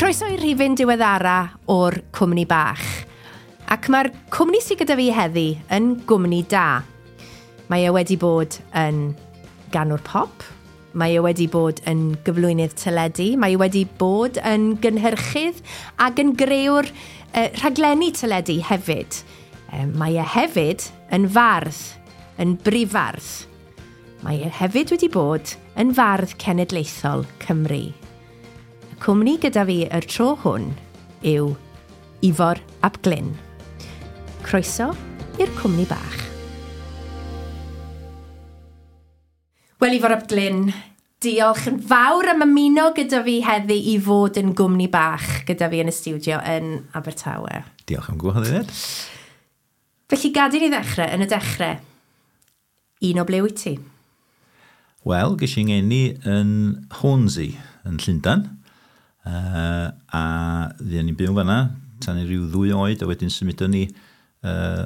Croeso i'r rhifyn diweddara o'r Cwmni Bach. Ac mae'r cwmni sydd gyda fi heddi yn gwmni da. Mae e wedi bod yn ganwr pop, mae e wedi bod yn gyflwynydd teledu, mae e wedi bod yn gynhyrchydd ac yn grëwr rhaglenni teledu hefyd. Mae e hefyd yn fardd, yn brifardd. Mae e hefyd wedi bod yn fardd cenedlaethol Cymru. Y cwmni gyda fi yr tro hwn yw Ifor ap Glyn. Croeso i'r Cwmni Bach. Wel, Ifor ap Glyn, diolch yn fawr am ymuno gyda fi heddi i fod yn gwmni bach gyda fi yn y stiwdio yn Abertawe. Diolch am gwahoddiad. Felly gad i ni ddechrau, yn y dechrau, un o ble wyt ti? Wel, ges i ngeni yn Hornsey yn Llundain, a fuon ni'n byw fanna tan i ryw 2 oed, a wedyn symudon ni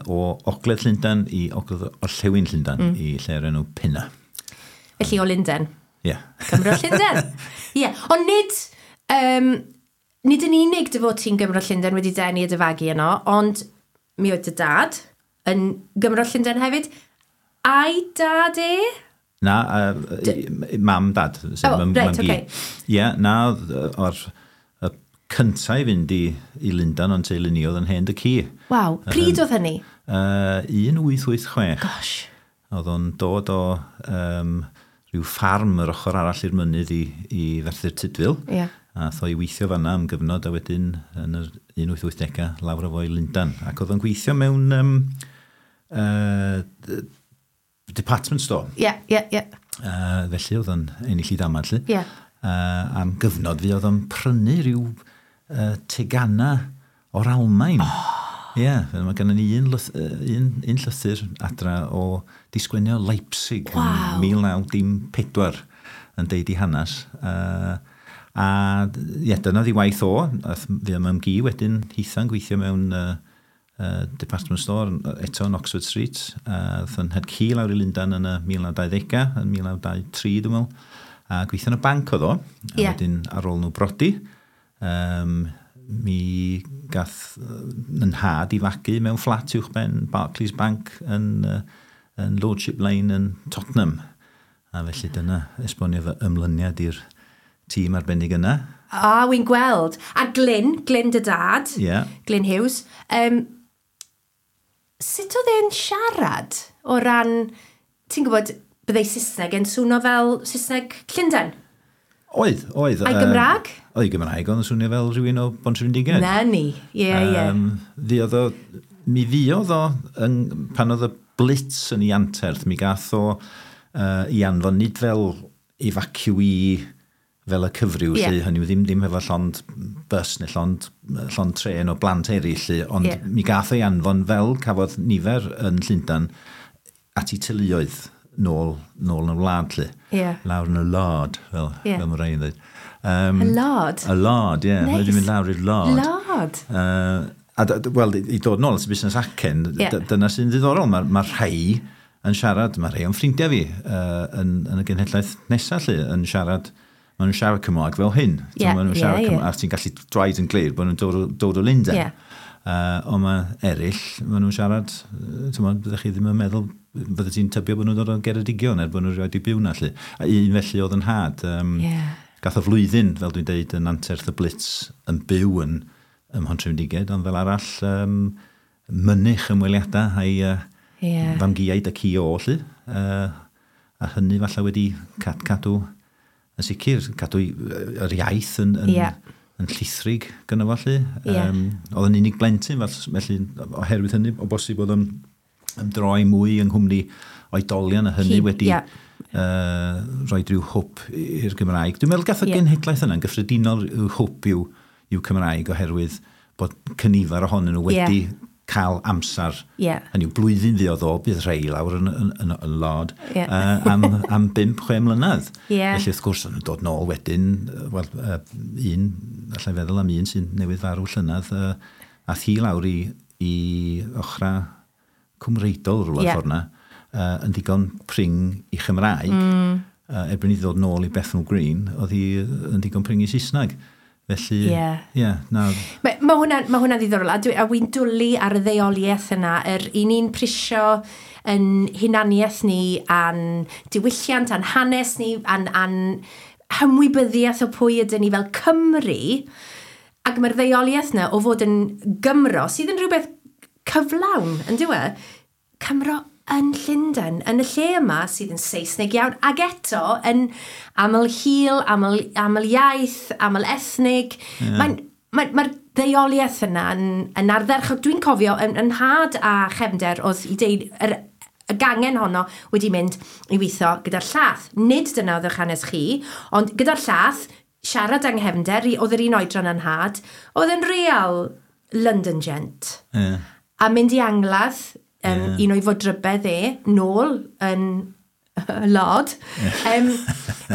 o Ogledd Llundain i Ogledd Orllewin Llundain, i lle'r enw Pinner. Felly o Lundain? Ie. Yeah. Cymro Llundain. Ie, yeah. Ond nid, nid yn unig dy fod ti'n Gymro Llundain wedi denu a dy fagu yno, ond mi oedd dy dad yn Gymro Llundain hefyd. A'i dad e? Na, mam dad. Oh, reit, oce. Ie, na, o'r y cyntaf i fynd i Lundain o'n teulu ni oedd yn hen dy ci. Waw, pryd oedd hynny? 1886. Gosh. Oedd o'n dod o rhyw ffarm yr ochr arall i'r mynydd i Ferthyr Tudful. Yeah. A tho i weithio fanna am gyfnod a wedyn yn yr 1880au lawr o fo i Lundain. Ac oedd o'n gweithio mewn department store. Ie, ie, ie. Felly oedd o'n ennill i damad, lly. Ie. Am gyfnod fi oedd o'n prynu rhyw tegana o'r Almaen. Ie, yeah, mae gennym ni un llythyr adra o disgwenio Leipzig yn 1904 yn deud i hanes. A ie, dyna oedd ei waith o. Fi am ymgu wedyn hitha'n gweithio mewn department store eto yn Oxford Street. Aeth yn had ci lawr i Lundain yn y 1920au, yn 1923 dwi'n meddwl. A gweithio yn y banc oedd o. A wedyn ar ôl nhw brodi, mi gath yn nhad i fagu mewn fflat uwchben Barclays Bank yn Lordship Lane yn Tottenham. A felly dyna esbonio fy ymlyniad i'r tîm arbennig yna. A, wy'n gweld. A Glyn dy dad, yeah. Glyn Hughes, sut oedd e'n siarad o ran, ti'n gwybod, byddai Saesneg yn swnio fel Saesneg Llundain? Oedd. A'i Gymraeg? Oedd ei Gymraeg, oedd yn swnio fel rhywun o Bontrhydfendigaid. Na ni, ie, ie. Mi fuodd o, pan oedd y Blitz yn ei anterth, mi gath o i anfon nid fel evacuee fel y cyfryw, lle, hynny yw ddim hefo llond bus neu llond tren o blant eraill, lle, ond mi gath o'i anfon fel cafodd nifer yn Llundain at ei teuluoedd nôl yn y wlad, lle. Yeah. Lawr yn y lard, fel mae rhai yn dweud. Y lard? Y lard, ie. Nice. Wedi mynd lawr i'r lard. Lard? Wel, i dod nôl at y busnes acen, dyna sy'n ddiddorol. Mae rhai yn siarad, mae rhai o'n ffrindiau fi yn y genhedlaeth nesaf, lle, yn siarad, maen nhw'n siarad Cymraeg fel hyn. Maen nhw'n siarad Cymraeg, a ti'n gallu dweud yn glir bod nhw'n dod o Lundain. Ond mae eraill, maen nhw'n siarad, byddech chi ddim yn meddwl, bydde ti'n tybio bod nhw'n dod o Geredigion er bod nhw'n rioed i byw na, lle. A un felly oedd yn nhad. Gath o flwyddyn, fel dwi'n deud, yn anterth y Blitz yn byw yn Mhontrhydfendigaid, ond fel arall mynych ymweliadau a'i famgiaid y ci o, lle. A hynny falle wedi cadw, yn sicr, cadw yr iaith yn llithrig gyda fo, lle. Oedd yn unig blentyn, felly oherwydd hynny, o bosib oedd yn ymdroi mwy yng nghwmni oedolion, a hynny wedi rhoi rhyw hwb i'r Gymraeg. Dwi'n meddwl gath y genhedlaeth yna'n gyffredinol rhyw hwb i'w Cymraeg oherwydd bod cynifer ohonyn nhw wedi cael amser. Hynny yw, blwyddyn fuodd o, bydd rhai lawr yn y lard am 5-6 mlynedd. Felly wrth gwrs, o'n dod nôl wedyn, wel, un, allai feddwl am un sy'n newydd farw llynedd, a thi lawr i ochra Cymreidol rhywle ffordd na, yn ddigon pring i Chymraeg, erbyn i ddod nôl i Bethnal Green, oedd hi yn ddigon pring i Saesneg. Felly, ie, yeah. Yeah, na. Mae ma hwnna'n ma hwnna ddiddorol, a wy'n dwlu ar y ddeuoliaeth yna, yr i ni'n prisio yn hunaniaeth ni, a'n diwylliant, a'n hanes ni, a'n hymwybyddiaeth o pwy ydyn ni fel Cymru, ac mae'r ddeuoliaeth yna o fod yn Gymro, sydd yn rhywbeth cyflawn, yn dyw e? Cymro yn Llundain, yn y lle yma sydd yn Saesneg iawn, ac eto yn aml hil, aml iaith, aml ethnig. Yeah. Mae'r mae ddeuoliaeth yna yn ardderchog. Dwi'n cofio, yn nhad a chefnder oedd i deud, y gangen honno wedi mynd i weithio gyda'r llath. Nid dyna oedd eich hanes chi, ond gyda'r llath, siarad yng nghefnder, oedd yr un oedran yn nhad, oedd yn real London gent. Yeah. A mynd i angladd, yeah. Un o'i fodrybedd e, nôl yn lod. Yeah.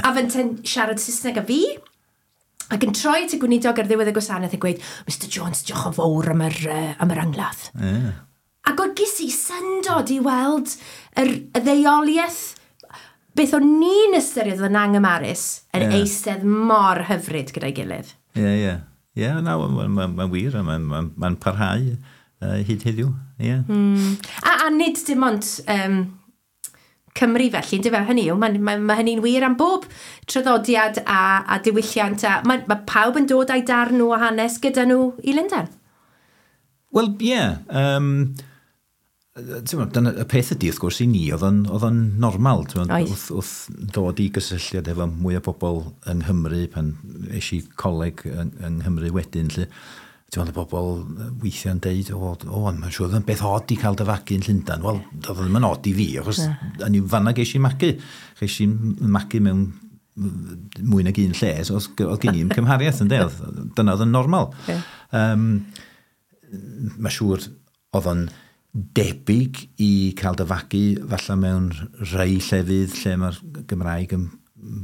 A fynte'n siarad Saesneg â fi, ac yn troi at y gweinidog ar ddiwedd y gwasanaeth a gweud, Mr Jones, diolch yn fawr am yr angladd. Yeah. Ac oedd ges i syndod i weld y ddeuoliaeth, beth o'n ni'n ystyried yn angymarus, yn eistedd mor hyfryd gyda'i gilydd. Ie, ie. Ie, na, mae'n wir, mae'n parhau hyd heddiw. Ie. Mm. A nid dim ond Cymru felly, yndyfe? Hynny yw, mae hynny'n wir am bob traddodiad a diwylliant. A mae pawb yn dod â'i darn nhw o hanes gyda nhw i Lundain. Wel, ie. Dyna, y peth ydy, wrth gwrs, i ni, oedd o'n normal. Wrth ddod i gysylltiad efo mwy o bobl yng Nghymru, pan es i coleg yng Nghymru wedyn, lle, ti'n meddwl, y bobl weithiau'n deud, o, mae'n siŵr oedd yn beth od i cael dy fagu yn Llundain. Wel, oedd ddim yn od i fi, achos yn i'w fanna ges i magu. Ges i magu mewn mwy nag un lle, so oedd gen i'n cymhariaeth yn de, dyna oedd yn normal. Yeah. Mae'n siŵr oedd o'n debyg i cael dy fagu falle mewn rhai llefydd lle mae'r Gymraeg yn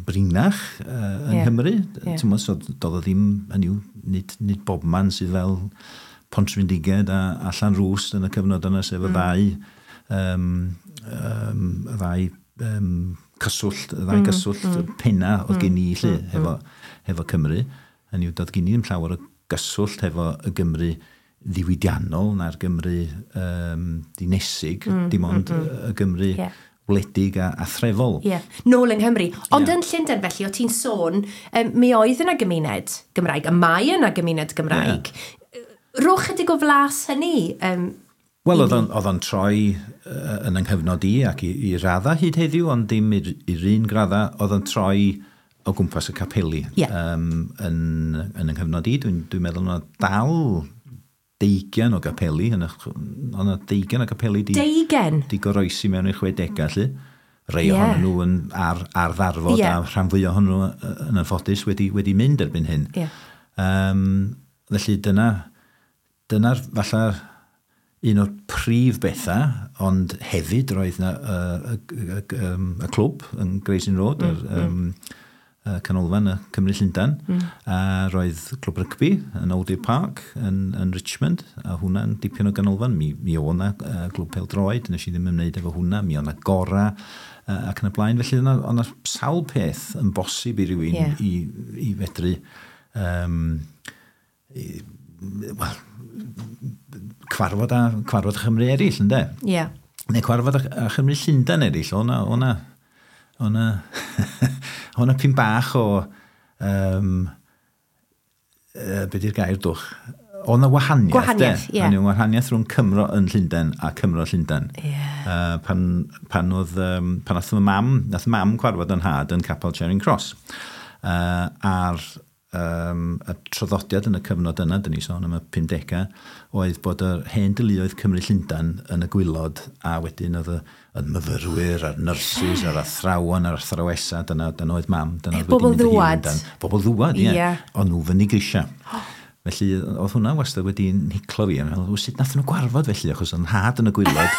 brinach yng Nghymru. Yeah. Ti'n meddwl, so doedd o ddim, hynny yw, nid bobman sydd fel Pontrhydfendigaid a Llanrwst yn y cyfnod yna, sef y ddau cyswllt, y ddau gyswllt penna oedd gen i lle hefo Cymru. Hynny yw, doedd gen i ddim llawer o gyswllt hefo y Gymru ddiwydiannol na'r Gymru dinesig, dim ond y Gymru wledig a threfol. Ie, yeah. Nôl yng Nghymru. Ond yn Llundain felly, o ti'n sôn, mi oedd yna gymuned Gymraeg, a mae yna gymuned Gymraeg. Yeah. Rhowch chydig o flas hynny. Wel, oedd o'n troi yn yng nghyfnod i ac i radda hyd heddiw, ond dim i'r un gradda, oedd o'n troi o gwmpas y capeli. Yeah. Yn yng nghyfnod i, dwi'n meddwl yna dal 20 o gapeli, o'na 20 o gapeli di goroesi mewn i'r 60au, lle. Rhai ohonyn nhw yn ar ddarfod, a rhan fwyaf ohonyn nhw yn anffodus wedi mynd erbyn hyn. Yeah. Felly dyna'r falle un o'r prif bethau, ond hefyd roedd yna y clwb yn Gray's Inn Road, canolfan y Cymru Llundain, a roedd clwb rygbi yn Old Deer Park yn Richmond, a hwnna'n dipyn o ganolfan. Mi oedd 'na glwb pêl-droed, nes i ddim ymwneud efo hwnna, mi oedd 'na gora ac yn y blaen. Felly oedd 'na sawl peth yn bosib i rywun i fedru cwarfod a Chymru eraill, ynde? Yeah. Neu cwarfod a Chymru Llundain eraill, oedd 'na pyn bach o, be di'r gair dwch? Oedd 'na wahaniaeth. Gwahaniaeth, ie. Oedd 'na wahaniaeth rhwng Cymro yn Llundain a Cymro Llundain. Yeah. Pan nath mam cwarfod yn nhad yn Capel Charing Cross. A'r y traddodiad yn y cyfnod yna, dyn ni sôn am y 50au, oedd bod yr hen deuluoedd Cymru Llundain yn y gwylod, a wedyn oedd y myfyrwyr, a'r nyrsys, a'r athrawon, a'r athrawesa, dyna oedd mam, dyna oedd wedi mynd i Llundain. Bobl ddwad, ie. O'n nhw fyny grisia. Felly, oedd hwnna wastad wedi hiclo fi. Meddwl, sut nath nhw gwarfod felly, achos oedd nhad yn y gwylod,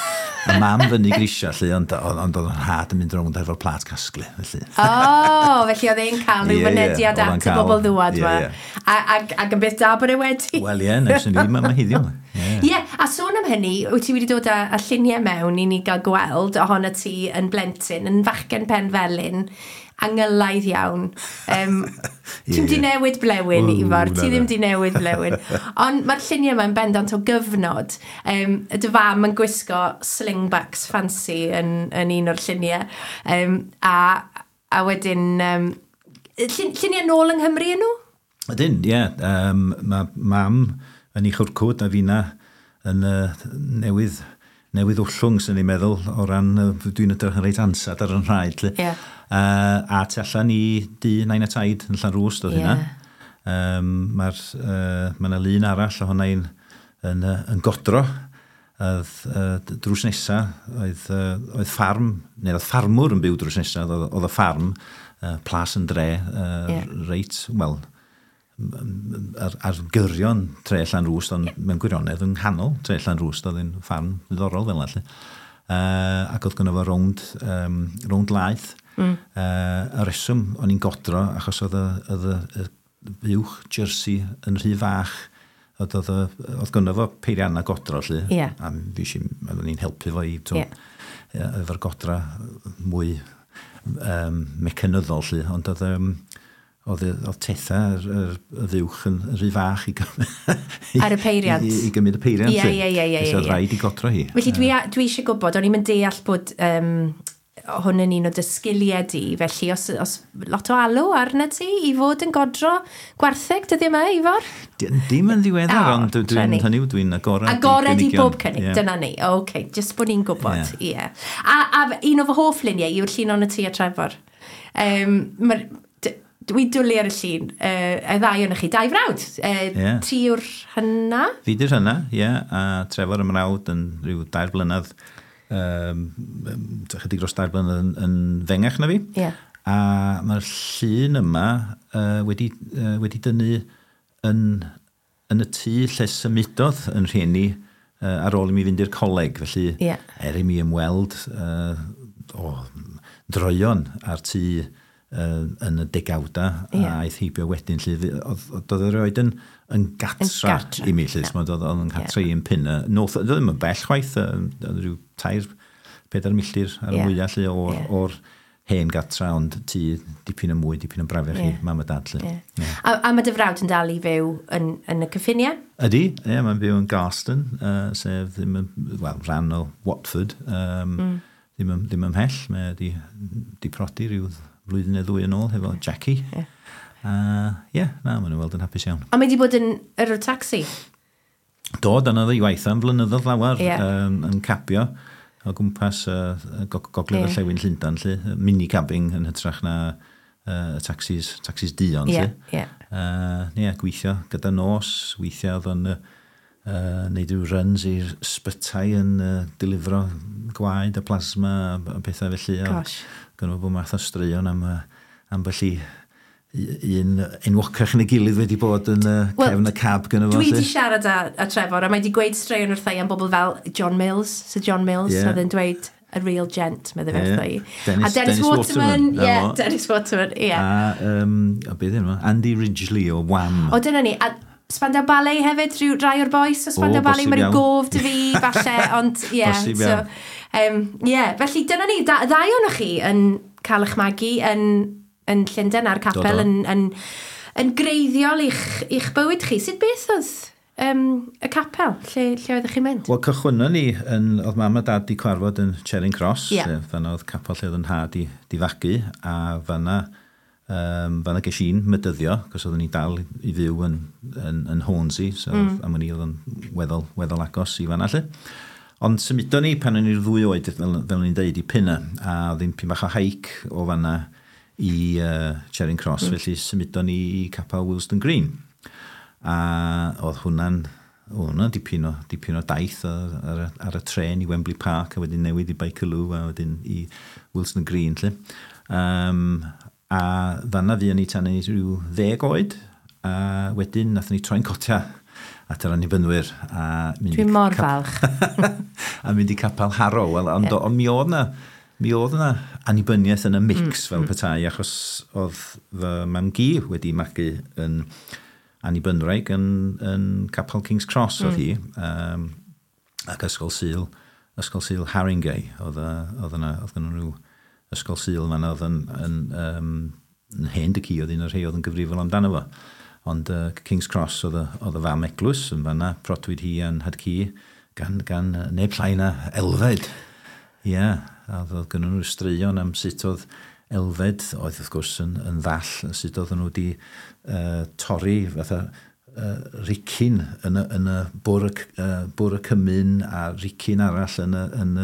a mam fyny grisia, lle, ond oedd nhad yn mynd rownd efo'r plât casglu. Felly. O, felly oedd e'n cael rhyw fynediad at y bobl ddwad yma. Ac yn beth da bod e wedi. Wel ie, nes i ddim yma heddiw. Ie, a sôn am hynny, wyt ti wedi dod â lluniau mewn i ni gael gweld ohono ti yn blentyn, yn fachgen pen felyn, angylaidd iawn. Ti'n di newid blewyn, Ifor, ti ddim di newid blewyn. Ond mae'r lluniau yma'n bendant o gyfnod. Dy fam yn gwisgo slingbacks fancy yn un o'r lluniau. A wedyn, lluniau nôl yng Nghymru yn nhw? Ydyn, ie. Yeah. Mae mam yn ei chwrcwd a fina yn newydd wllwng, sy'n ni'n meddwl, o ran, dwi'n edrych yn reit ansad ar yn rhaid. Yeah. A tu allan i dŷ nain a taid yn Llanrwst oedd hynna. Mae yna lun arall o hwnna yn godro. Oedd drws nesa, oedd ffarm, neu oedd ffarmwr yn byw drws nesa, oedd y ffarm, Plas yn Dre, reit, wel, ar gyrion tre Llanrwst, ond mewn gwirionedd yng nghanol tre Llanrwst, oedd yn ffarm ddiddorol fel yna. Ac oedd gynno fo rownd laeth. Y reswm o'n i'n godro, achos oedd y fuwch Jersey yn rhy fach, oedd gynno fo peirianna godro, lly. A oeddwn i'n helpu fo i, efo'r godra mwy mecanyddol, lly, ond oedd tetha y fuwch yn rhy fach i gymryd ar y peiriant. I gymryd y peiriant. Ie. Oedd rhaid i godro hi. Felly dwi eisiau gwybod, o'n i'n mynd deall bod hwn yn un o dy sgiliau di, felly os lot o alw arna ti i fod yn godro gwartheg dyddiau yma, Ifor? Dim yn ddiweddar, ond dwi'n agored. Agored i bob cynnig, dyna ni. OK, jyst bod ni'n gwybod. Ie. A un o fy hoff luniau yw'r llun o'n y ti a Trefor. Dwi'n dwlu ar y llun, y ddau o'n chi, dau frawd. Ti yw'r hynna? Fi di'r hynna, ie. A Trefor y mrawd yn rhyw 2 blynedd, chydig dros 2 blynedd yn fengach na fi. Yeah. A mae'r llun yma wedi dynnu yn y tŷ lle symudodd yn rhieni ar ôl i mi fynd i'r coleg. Felly, er i mi ymweld droion ar tŷ yn y degawda a aeth heibio wedyn, lly, oedd erioed yn gatra i mi, lly, oedd yn gatra i yn Pinner. Oedd ddim yn bell chwaith, oedd rhyw 3-4 milltir ar y mwyaf, lly, o'r hen gatra, ond tŷ dipyn yn mwy, dipyn yn brafiach i mam a dad, lly. A mae dy frawd yn dal i fyw yn y cyffiniau? Ydy, ie, mae'n byw yn Garston, sef ddim yn, wel, rhan o Watford, ddim ymhell, mae di prodi rhyw flwyddyn neu ddwy yn ôl hefo Jackie. Na, maen nhw'n weld yn hapus iawn. A mae di bod yn yrrwr tacsi? Do, dyna oedd ei waith am flynyddoedd lawer, yn cabio o gwmpas gogledd orllewin Llundain, lly, mini-cabbing yn hytrach na taxis duon, lly. Ie, gweithio gyda nos, weithio oedd o'n neud rhyw runs i'r sbytai yn delifro gwaed a plasma a pethau felly. Gosh. Gynno fo bob math o straeon am ambell i un enwocach yn ei gilydd wedi bod yn cefn y cab gynno fo. Dwi wedi siarad â Trefor a mae wedi gweud straeon wrtha i am bobl fel John Mills, Sir John Mills, oedd yn dweud a real gent, meddai fe wrtha i. A Dennis Waterman, ie, Dennis Waterman, ie. A beth yw, Andy Ridgely o Wham. O, dyna ni. A Spandau Ballet hefyd, rhyw rai o'r boys o Spandau Ballet, mae rhyw gof dy fi, falle, ond ie. Ie, felly dyna ni, ddau ohonoch chi yn cael eich magu yn Llundain a'r capel yn greiddiol i'ch bywyd chi. Sut beth oedd y capel? Lle oeddech chi'n mynd? Wel, cychwynnon ni, oedd mam a dad di cwarfod yn Charing Cross, fanna oedd capel lle oedd yn nhad di fagu, a fanna ges i'n mydyddio, cos oeddwn ni dal i fyw yn Hornsey, so am o'n i oedd yn weddol agos i fanna lle. Ond symudon ni pan o'n i'r 2 oed, fel o'n i'n deud, i Pinner, a oedd hi'n pyn bach o hike o fanna i Charing Cross, felly symudon ni i capel Willesden Green. A oedd hwnna'n dipyn o daith ar y tren i Wembley Park, a wedyn newid i Bakerloo, a wedyn i Willesden Green, lle. A fanna fuon ni tan rhyw 10 oed, a wedyn nathon ni troi'n cotia at yr annibynwyr. Dwi'n mor falch. A mynd i capel Harrow. Wel, ond mi oedd yna annibyniaeth yn y mix fel petai, achos oedd fy mam-gu wedi magu yn annibynwraig yn capel King's Cross oedd hi, ac Ysgol Sul Haringey. Oedd yna rhyw Ysgol Sul fan'na oedd yn Hen dy ci oedd un o'r rhai oedd yn gyfrifol amdano fo. Ond King's Cross oedd y fam eglwys yn fanna, protwyd hi a'n nhad-cu gan neb llai na Elfed. Ie, yeah, a oedd gynnon nhw straeon am sut oedd Elfed, oedd wrth gwrs yn ddall, sut oedden nhw wedi torri fatha ricin yn y bwr y cymun a ricin arall yn y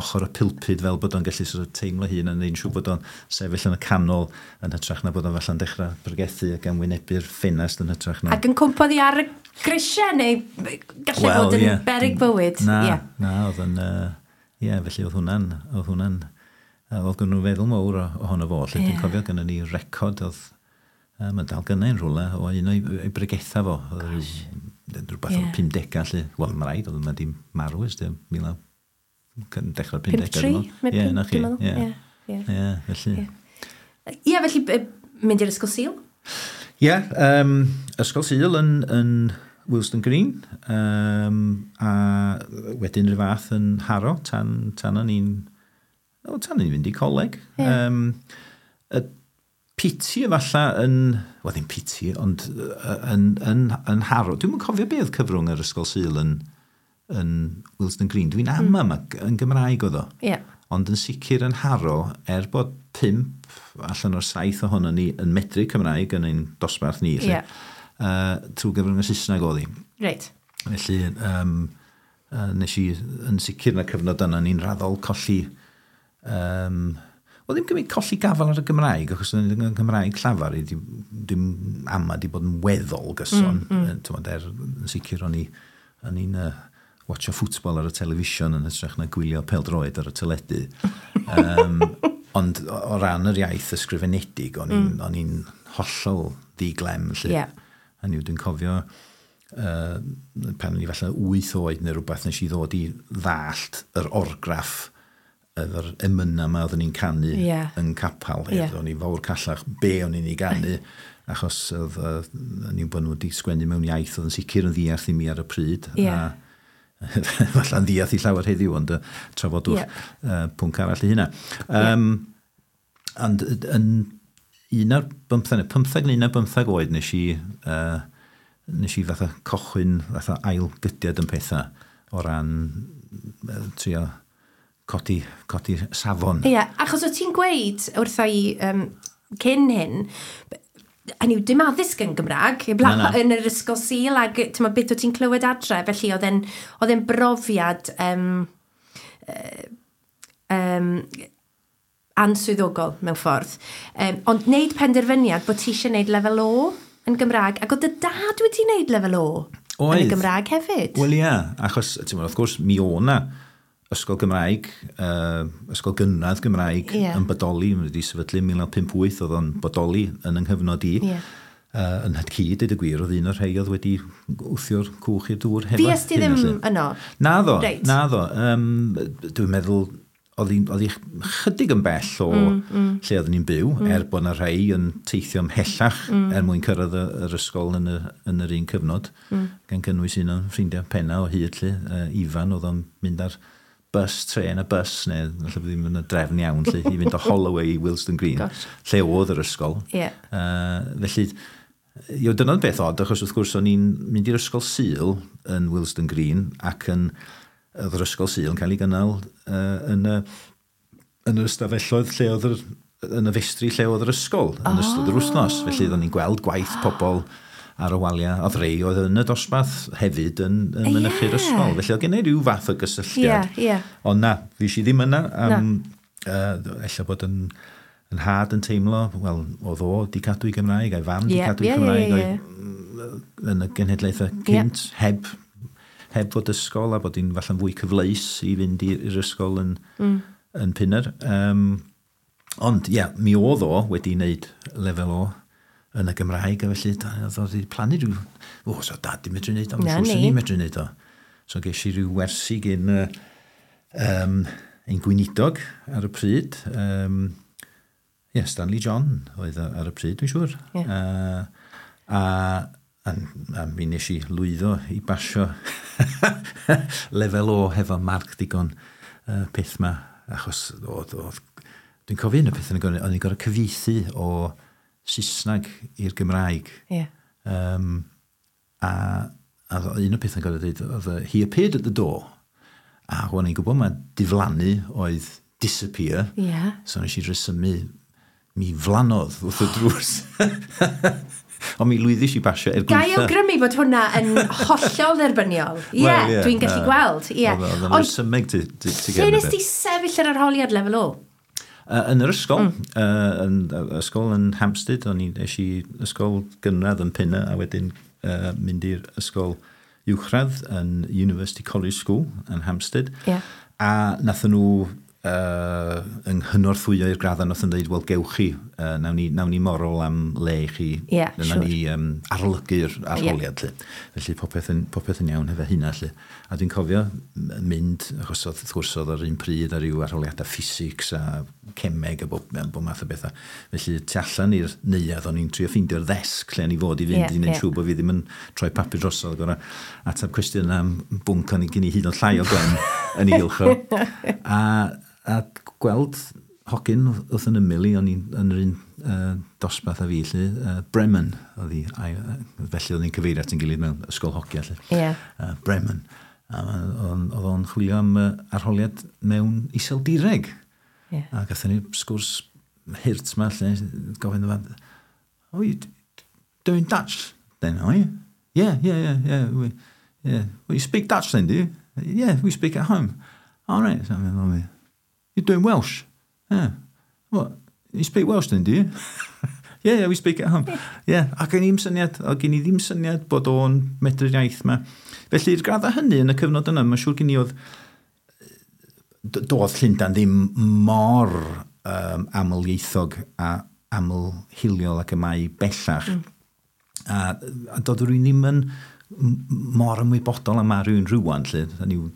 ochr y pulpud fel bod o'n gallu sort of teimlo hun yn neud siŵr bod o'n sefyll yn y canol yn hytrach na bod o'n falle'n dechrau pregethu ac yn wynebu'r ffenest yn hytrach na. Ac yn cwmpo hi ar y grisiau neu gallu fod yn berig bywyd. Na, na, oedd yn... Ie, felly oedd gynnu nhw feddwl mawr ohono fo. Lle dwi'n cofio gynnu ni record oedd... Mae'n dal gynnau yn rhywle o un o'i bregetha fo. Oedd rhywbeth o'r 50au lle. Wel, mae rhaid, oedd yma di marw ers dechrau'r 50au. Ie, na chi. Ie, ie, felly. Ie, felly mynd i'r ysgol Sul? Ie, ysgol Sul yn Willesden Green, a wedyn rhyw fath yn Harrow, tan o'n i'n tan o'n i'n fynd i coleg. Y piti efalla yn, wel ddim piti, ond yn Harrow. Dwi'm yn cofio beth cyfrwng yr ysgol Sul yn Willesden Green. Dwi'n ama mm. yn Gymraeg oedd o. Ond yn sicr yn Harrow, er bod 5 allan o'r 7 ohono ni yn medru Cymraeg yn ein dosbarth ni, lle, trwy gyfrwng y Saesneg oedd hi. Felly, nes i yn sicr yn y cyfnod yna ni'n raddol colli... wel, ddim gymryd colli gafel ar y Gymraeg, achos yn y Gymraeg llafar, dim ama di bod yn weddol gyson. Yn sicr o'n i'n watcho ffwtbol ar y television yn hytrach na gwylio pêl-droed ar y teledu. Ond o ran yr iaith ysgrifenedig, o'n i'n hollol ddi-glem. Hynny yw, dwi'n cofio pan o'n i falle 8 oed neu rhywbeth, nes i ddod i ddallt yr orgraff efo'r emyna yma oedden ni'n canu yn capal. O'n i fawr callach be o'n i'n ei ganu, achos oedd o'n i'n bod nhw wedi sgwennu mewn iaith oedd yn sicr yn ddiarth i mi ar y pryd. A falle'n ddiarth i llawer heddiw, ond trafodwch pwnc arall i hynna. Ond yn 15 neu 15 oed nes i fatha cochwyn, fatha ail gydiad yn pethau o ran trio codi safon. Ie, achos o ti'n gweud wrtha i cyn hyn, hynny yw, dim addysg yn Gymraeg, yn yr ysgol Sul, ac beth o ti'n clywed adre, felly oedd e'n brofiad answyddogol mewn ffordd. Ond wneud penderfyniad bod ti eisiau gwneud lefel O yn Gymraeg, ac oedd dy dad wedi wneud lefel O yn y Gymraeg hefyd. Wel ie, achos, ti'n meddwl, wrth gwrs, mi o na ysgol Gymraeg, ysgol gynradd Gymraeg yn bodoli, wedi sefydlu 1958, oedd o'n bodoli yn yng nghyfnod i. Yn nhad-cu, dweud y gwir, oedd un o'r rhai oedd wedi wthio'r cwch i'r dŵr hefo. Fues ti ddim yno? Naddo, naddo. Dwi'n meddwl, oedd hi chydig yn bell o lle oedden ni'n byw, er bod yna rhai yn teithio ymhellach er mwyn cyrraedd yr ysgol yn yr un cyfnod, gan gynnwys un o'n ffrindiau penna o hyd lle, Ifan, oedd o'n mynd ar bus, tren a bus, neu falle ddim yn y drefn iawn, lle, i fynd o Holloway i Willesden Green, lle oedd yr ysgol. Felly, dyna'n beth od, achos wrth gwrs o'n i'n mynd i'r ysgol Sul yn Willesden Green, ac yn oedd yr ysgol Sul yn cael ei gynnal yn yr ystafelloedd lle oedd yn y festri lle oedd yr ysgol yn ystod yr wythnos. Felly oedden ni'n gweld gwaith pobl ar y waliau. Oedd rei oedd yn y dosbarth hefyd yn mynychu'r ysgol. Felly oedd gen i ryw fath o gysylltiad. Ond na, fues i ddim yna. Ella bod yn nhad yn teimlo, wel, oedd o di cadw i Gymraeg, a'i fam di cadw i Gymraeg, yn y genhedlaethau cynt, heb fod ysgol, a bod hi'n falle'n fwy cyfleus i fynd i'r ysgol yn Pinner. Ond, ie, mi oedd o wedi wneud lefel O yn y Gymraeg, a felly oedd o wedi plannu rhyw... O, so dad di medru wneud o, mae'n siŵr sy'n ni medru wneud o. So ges i ryw wersi gyn ein gweinidog ar y pryd. Stanley John oedd ar y pryd, dwi'n siŵr. A mi nes i lwyddo i basio lefel O hefo marc digon peth ma, achos oedd Dwi'n cofio un o pethau o'n i'n gorfod cyfieithu o Saesneg i'r Gymraeg. A un o'r pethau'n gorfod dweud oedd "He appeared at the door." A o'n i'n gwybod mae diflannu oedd disappear. So nes i resymu, "Mi flanodd wrth y drws." Ond mi lwyddis i basio er Ga i gweitha. awgrymu bod hwnna yn hollol dderbyniol. Ie, yeah, dwi'n gallu gweld. Ie. Oedd o'n resymeg ti lle nes ti sefyll yr arholiad lefel O? Yn yr ysgol, yn ysgol yn Hampstead, o'n i es i ysgol gynradd yn Pinner a wedyn mynd i'r ysgol uwchradd yn University College School yn Hampstead. A nathon nhw yng nghynorthwyo i'r graddau, nathon nhw dweud, "Wel, gewch chi, nawn ni morol am le i chi, nawn ni arolygu'r arholiad," lle. Felly popeth yn iawn hefo hynna, lle. A dwi'n cofio mynd, achos oedd, wrth gwrs, oedd yr un pryd ar ryw arholiadau physics a cemeg a bob math o bethau. Felly tu allan i'r neuadd, o'n i'n trio ffeindio'r ddesg lle o'n i fod i fynd i wneud siŵr bod fi ddim yn troi papur drosodd, gorau ateb cwestiwn am bwnc o'n i gen i hyd yn oed llai o glen yn ei gylch o. A gweld hogyn wrth yn ymyl i, o'n i'n yn yr un dosbarth a fi, lle, Bremen, oedd hi, felly oedd ni'n cyfeirio at ein gilydd mewn ysgol hogia, lle. Bremen. A oedd o'n chwilio am arholiad mewn Iseldireg. A gathon ni sgwrs hurt ma, lle, gofyn iddo fo, "Oh, you doing Dutch then, are you?" Yeah. Yeah. "Well, you speak Dutch then, do you?" "Yeah, we speak at home." "All right." So, I'm like, "You're doing Welsh?" "Yeah." "What? You speak Welsh then, do you?" Yeah, we speak at home." Yeah, a gen i ddim syniad, o gen i ddim syniad bod o'n medru'r iaith ma. Felly, i'r graddau hynny yn y cyfnod yna, mae'n siŵr gen i oedd, doedd Llundain ddim mor amlieithog a aml-hiliol ac y mae bellach. A doedd rhywun ddim yn mor ymwybodol am ma rhywun rwan, lle. Hynny yw,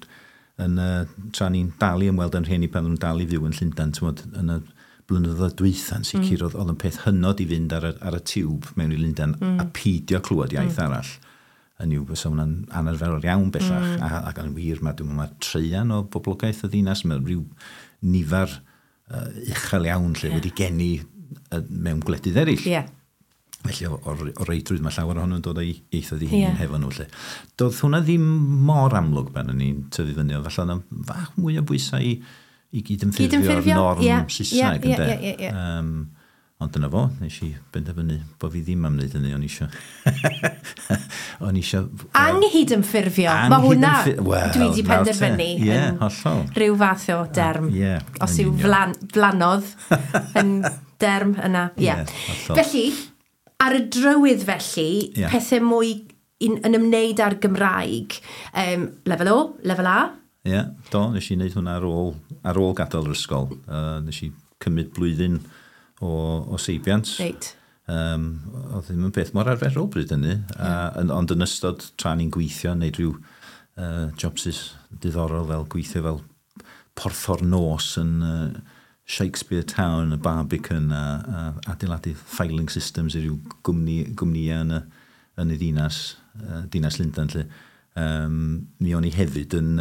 tra ni'n dal i ymweld â'n rhieni pan nhw'n dal i fyw yn Llundain, t'mod, yn y blynyddoedd dwytha yn sicr, oedd yn peth hynod i fynd ar y tiwb mewn i Lundain a peidio clywed iaith arall. Hynny yw, fysa hwnna'n anarferol iawn bellach. Ac yn wir, mae, dwi'n meddwl, mae traean o boblogaeth y ddinas, mae rhyw nifer uchel iawn lle wedi geni mewn gwledydd eraill. Felly, o reidrwydd mae llawer ohonyn nhw'n dod o'i ieithoedd eu hunain hefo nhw. Lle. Doedd hwnna ddim mor amlwg pan o'n i'n tyfu fyny, ond falle yna fach mwy o bwysau i gydymffurfio'r Gydymffurfio, norm Saesneg, ynde? Ie. Ond dyna fo, nes i benderfynu bod fi ddim am wneud hynny, o'n i isio Anghydymffurfio. Mae hwnna, Wel, dwi wedi nawr te. penderfynu Ie, yn hollol. rhyw fath o derm. Ie, Os yn yw union. flanodd yn derm yna. Ie. Ie, hollol. Felly, ar y drywydd felly, pethau mwy yn ymwneud â'r Gymraeg. Lefel O, lefel A. Ie, do, nes i wneud hwnna ar ôl gadael yr ysgol. Nes i cymryd blwyddyn o seibiant. Oedd ddim yn beth mor arferol bryd hynny. Ond yn ystod tra ni'n gweithio, wneud rhyw jobsys diddorol fel gweithio fel porthor nos yn Shakespeare Town, y Barbican, a adeiladu filing systems i ryw gwmnïau yn y ddinas, dinas Llundain. Lle. Mi o'n i hefyd yn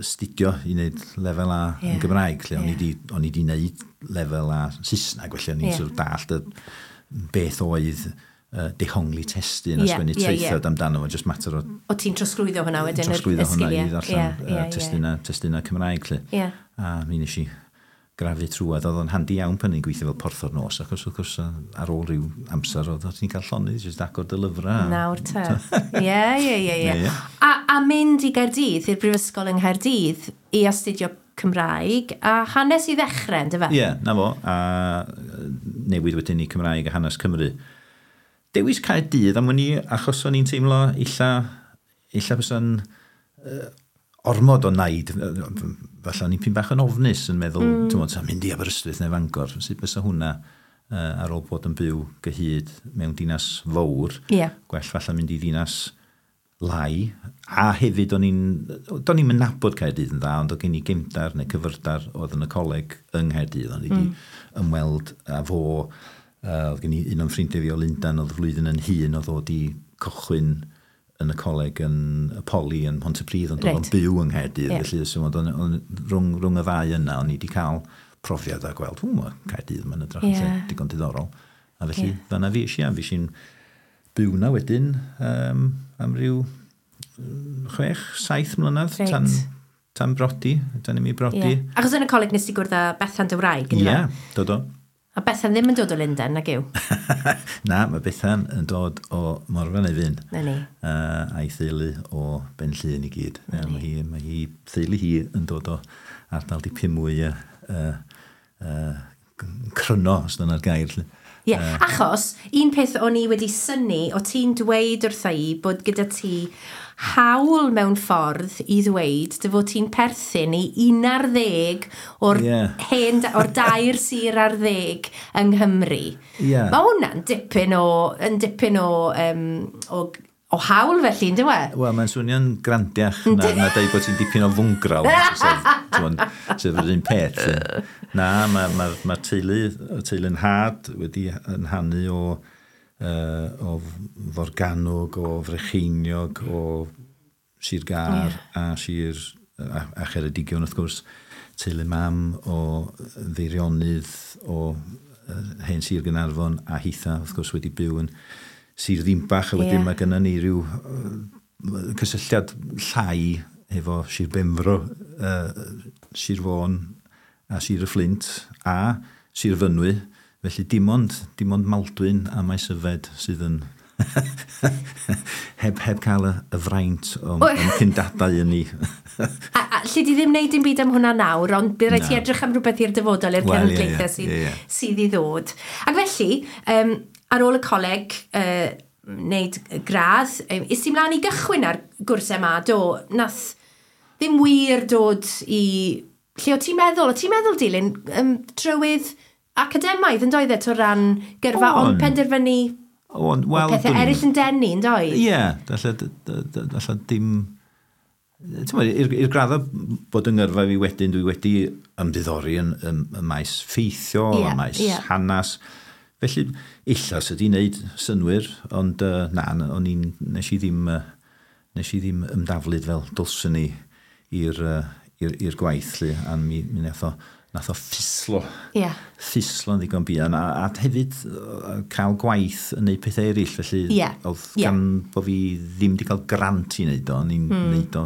astudio i wneud lefel A yn Gymraeg, lle o'n i di wneud lefel A Saesneg, felly o'n i'n sort of dallt y beth oedd dehongli testun a sgwennu traethawd amdano fo, just mater o O ti'n trosglwyddo hwnna wedyn, trosglwyddo y hwnna i sgiliau. ddarllen testuna Cymraeg, lle. A mi nes i grafu trwad, oedd o'n handi iawn pan ni'n gweithio fel porthor nos, achos wrth gwrs ar ôl rhyw amser oedd ti'n cael llonydd, jyst agor dy lyfrau. Nawr te. Ie. Ie. A mynd i Gaerdydd, i'r Brifysgol yng Nghaerdydd, i astudio Cymraeg a hanes i ddechrau, yndyfe? Ie, na fo, a newid wedyn i Cymraeg a hanes Cymru. Dewis Caerdydd am wn i, achos o'n i'n teimlo illa bysa'n ormod o naid, falle o'n i'n pyn bach yn ofnus yn meddwl, ti'n meddwl, mynd i Aberystwyth neu Fangor, sut bysa hwnna ar ôl bod yn byw gyhyd mewn dinas fawr, gwell falle mynd i ddinas lai, a hefyd do'n i'n nabod Caerdydd yn dda, ond oedd gen i gefndar neu cyfyrdar oedd yn y coleg yng Nghaerdydd, o'n i wedi ymweld â fo, oedd gen i un o'n ffrindiau fi o Lundain, oedd flwyddyn yn hŷn, oedd o di cychwyn yn y coleg yn y Poli yn Pontypridd, ond oedd o'n byw yng Nghaerdydd, felly so, oedd rhwng y ddau yna, o'n i wedi cael profiad a gweld, mae Caerdydd mae'n edrych yn lle digon diddorol. A felly, fanna fi eisiau, fi eisiau'n byw na wedyn am ryw 6-7 mlynedd tan brodi, tan i mi brodi. Yeah. Achos yn y coleg nes ti gwrdd â Bethan dy wraig, Ie, yeah, dod o. A Bethan ddim yn dod o Lundain, nag yw? Na, mae Bethan yn dod o Morfa Nefyn. Na ni. A'i theulu o Ben Llŷn i gyd. Mae hi, theulu hi yn dod o ardal dipyn mwy cryno, os dyna'r gair. Ie, yeah, achos un peth o'n i wedi synnu, o ti'n dweud wrtha i bod gyda ti hawl mewn ffordd i ddweud dy fod ti'n perthyn i 11 o'r, hen, o'r 3 sir ar 10 yng Nghymru. Yeah. Mae hwnna'n dipyn o, yn dipyn o hawl felly, yn dyw e? Wel, mae'n swnio'n grandiach na dweud bod ti'n dipyn o fwngral, sef yr un peth. Na, mae'r ma teulu'n nhad wedi yn hanu o Forgannwg, o Frycheiniog, o Sir Gâr a Sir a Cheredigion, wrth gwrs. Teulu mam o Feirionydd, o hen Sir Gaernarfon, a hitha, wrth gwrs, wedi byw yn Sir Ddinbach, a wedyn mae gennym ni ryw cysylltiad llai efo Sir Benfro, Sir Fôn a Sir y Fflint a Sir Fynwy. Felly dim ond Maldwyn a Maesyfed sydd yn heb cael y fraint o'n cyndadau yn ni. A lle di ddim wneud dim byd am hwnna nawr, ond bydd rhaid ti edrych am rhywbeth i'r dyfodol, i'r cenedlaethau sydd i ddod. Ac felly, ar ôl y coleg, wneud gradd, is ti mlaen i gychwyn ar gwrs MA, do, nath ddim wir dod i... Lle o ti'n meddwl? O ti'n meddwl dilyn trywydd academaidd yn doedd e, o ran gyrfa, ond penderfynu well, pethau eraill yn denu, yn doedd? Ie, alla dim... I'r graddau bod yng ngyrfa fi wedyn, dwi wedi ymddiddori yn y maes ffeithiol, y maes hanas. Felly, illa sydd wedi wneud synnwyr, ond na, nes i ddim ymdaflyd fel dylswn i i'r gwaith, lle, a mi nath o ffislo. Yeah. Ffislo'n ddigon buan, a hefyd cael gwaith yn neud pethau eraill, felly oedd gan bod fi ddim wedi cael grant i wneud o, o'n i'n wneud o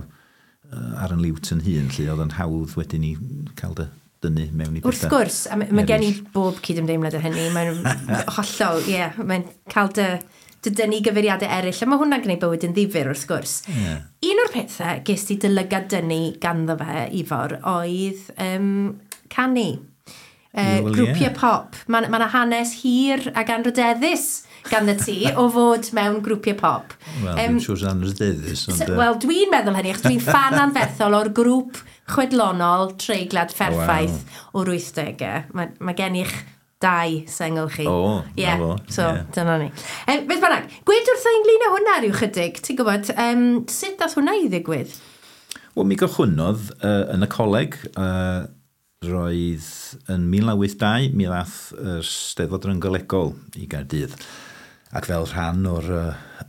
ar yn liwt yn hun, lle oedd yn hawdd wedyn i cael dy dynnu mewn i pethau. Wrth gwrs, a mae gen i bob cydymdeimlad o hynny, mae'n hollol, mae'n cael dy dynnu gyfeiriadau eraill, a mae hwnna'n gwneud bywyd yn ddifyr wrth gwrs. Yeah. Un o'r pethau ges ti dy lygad dynnu ganddo fe, Ifor, oedd canu. Grwpiau pop. Mae yna hanes hir ac anrhydeddus ganddo ti o fod mewn grwpiau pop. Wel, dwi'n siŵr sy'n anrhydeddus. Wel, dwi'n meddwl hynny, achos dwi'n ffan anferthol o'r grŵp chwedlonol Treiglad Fferffaith o'r 80au. Mae gen i'ch 2 sengl chi. O, na fo. So, dyna ni. Beth bynnag, gwed wrtho ynglyn â hwnna rhyw chydig, ti'n gwybod, sut dath hwnna i ddigwydd? Wel, mi gychwynnodd yn y coleg, roedd yn 1982, mi ddath yr Steddfod Rynggolegol i Gaerdydd. Ac fel rhan o'r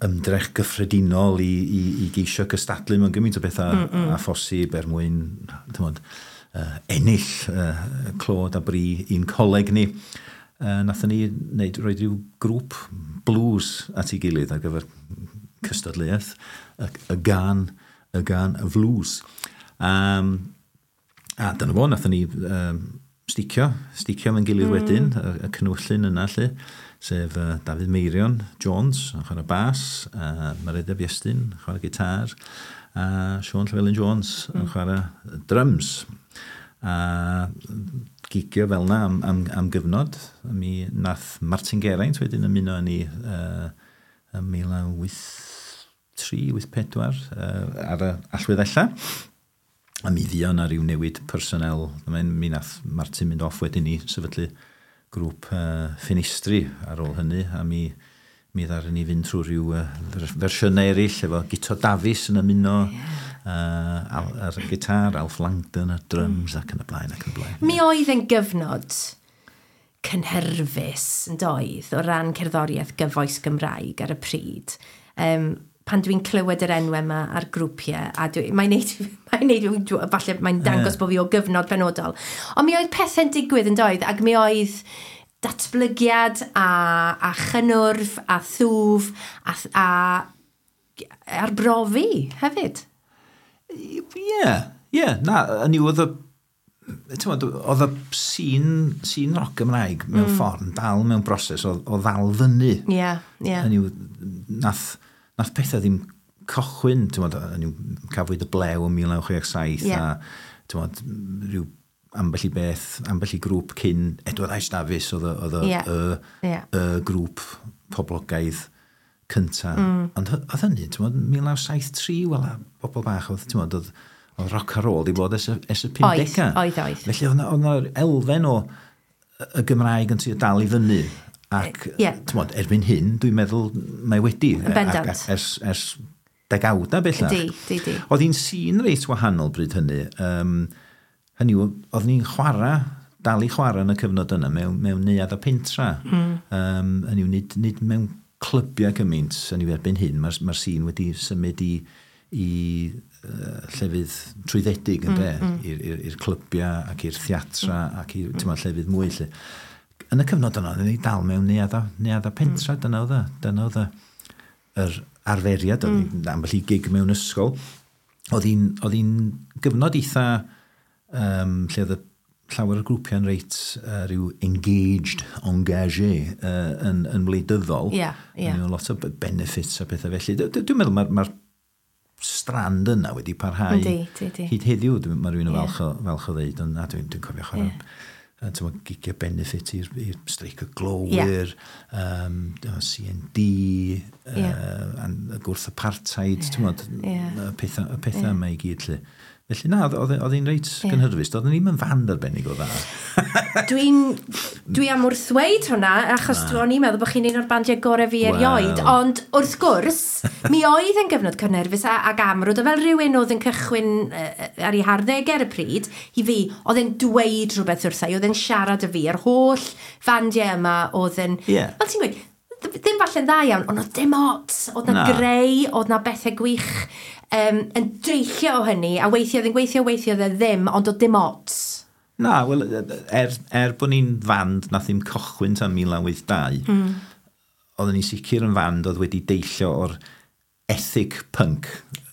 ymdrech gyffredinol i geisio cystadlu mewn gymaint o bethau a phosib er mwyn, ti'n ennill clod a bri i'n coleg ni. Nathon ni wneud, rhoi rhyw grŵp blues at ei gilydd ar gyfer cystadleuaeth, y gan flues. A dyna fo, nathon ni sticio fe'n gilydd wedyn, y cynwyllun yna lle, sef Dafydd Meirion Jones yn chwarae bas, Mared Iestyn yn chwarae gitar, a Siôn Llywelyn Jones yn chwarae drums. A gigio fel na am gyfnod. Mi nath Martin Geraint wedyn ymuno â ni ym 1983, 84 ar y allweddella. A mi fuon ar ryw newid personel. Mi nath Martin mynd off wedyn i sefydlu grŵp Ffenestri ar ôl hynny, a mi ddaru ni fynd trwy rhyw fersiynau eraill efo Guto Dafis yn ymuno ar y gitar, Alf Langdon ar drums ac yn y blaen ac yn y blaen. Mi oedd yn gyfnod cynhyrfus yn doedd o ran cerddoriaeth gyfoes Gymraeg ar y pryd. Pan dwi'n clywed yr enwau yma a'r grwpiau, a mae'n neud Mae'n neud, falle mae'n dangos bod fi o gyfnod penodol. Ond mi oedd pethau'n digwydd yn doedd, ac mi oedd datblygiad a chynnwrf a thwf a arbrofi hefyd. Ie, na, yn yw oedd y oedd y sîn rock Gymraeg mewn ffordd yn dal mewn broses o ddal fyny. Ie, ie. Hynny yw, nath pethau ddim cychwyn, ti'n hynny yw, cafwyd y Blew yn 1967 a ti'n rhyw ambell i beth, ambell i grŵp cyn Edward Ice Davies oedd y grŵp poblogaidd cynta. Ond oedd hynny, ti'n 1973, wel, a bobl bach, oedd, ti'n oedd rock and roll di bod ers y 50au. Oedd. Felly oedd yna elfen o y Gymraeg yn trio dal i fyny. Ac, ti'n erbyn hyn, dwi'n meddwl mae wedi. Yn bendant. Ers degawda bellach. Di. Oedd hi'n sîn reit wahanol bryd hynny. Hynny yw, oedd ni'n chwarae, dal i chwarae yn y cyfnod yna mewn neuadd a pentra. Hynny yw, nid mewn clybiau gymaint, hynny yw, erbyn hyn, mae'r sîn wedi symud i llefydd trwyddedig, ynde, i'r clybiau ac i'r theatra ac i'r llefydd mwy. Lle. Yn y cyfnod yna, oedden ni dal mewn neuadd a pentra, dyna oedd yr arferiad, oedd ambell i gig mewn ysgol. Oedd hi'n gyfnod eitha lle oedd llawer o grwpiau'n reit rhyw engaged, engagé yn wleidyddol. Yeah, yeah. Lot o benefits a pethau felly. Dwi'n meddwl mae'r strand yna wedi parhau hyd heddiw. Mae rhywun yn falch o ddeud, ond dwi'n cofio chwarae gigiau benefit i'r streic y glowyr, CND, gwrth apartheid, y pethau yma i gyd. Lle. Felly na, oedd hi'n reit gynhyrfus. Doedden ni'm yn fand arbennig o dda. Dwi am wrthweud hwnna, achos o'n i'n meddwl bod chi'n un o'r bandiau gorau fi erioed. Ond wrth gwrs, mi oedd yn gyfnod cynhyrfus ac amrwd, a fel rhywun oedd yn cychwyn ar ei harddegau ar y pryd, i fi, oedd e'n dweud rhywbeth wrtha i, oedd e'n siarad â fi, yr holl fandiau yma oedd yn... Yeah. Fel ti'n gweud, ddim falle'n dda iawn, ond oedd dim ots, oedd na greu, oedd na bethau gwych yn deillio o hynny, a weithio oedd yn gweithio, weithio oedd e ddim, ond oedd dim ots. Na, wel, er bod ni'n fand nath ddim cychwyn tan 1982, oedden ni'n sicr yn fand oedd wedi deillio o'r ethic punk.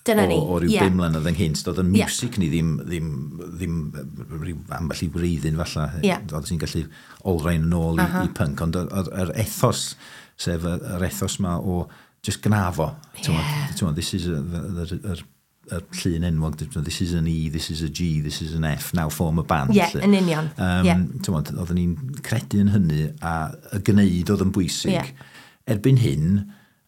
Dyna ni, o ryw 5 mlynedd ynghynt. Doedd y music ni ddim rhyw ambell i wreiddyn falle. Oedd ti'n gallu olrhain yn ôl i punk, ond yr ethos, sef yr ethos ma o just gnafo. This is yr llun enwog, this is an E, this is a G, this is an F, now form a band. Ie, yn union. Oedden ni'n credu yn hynny, a y gwneud oedd yn bwysig. Erbyn hyn,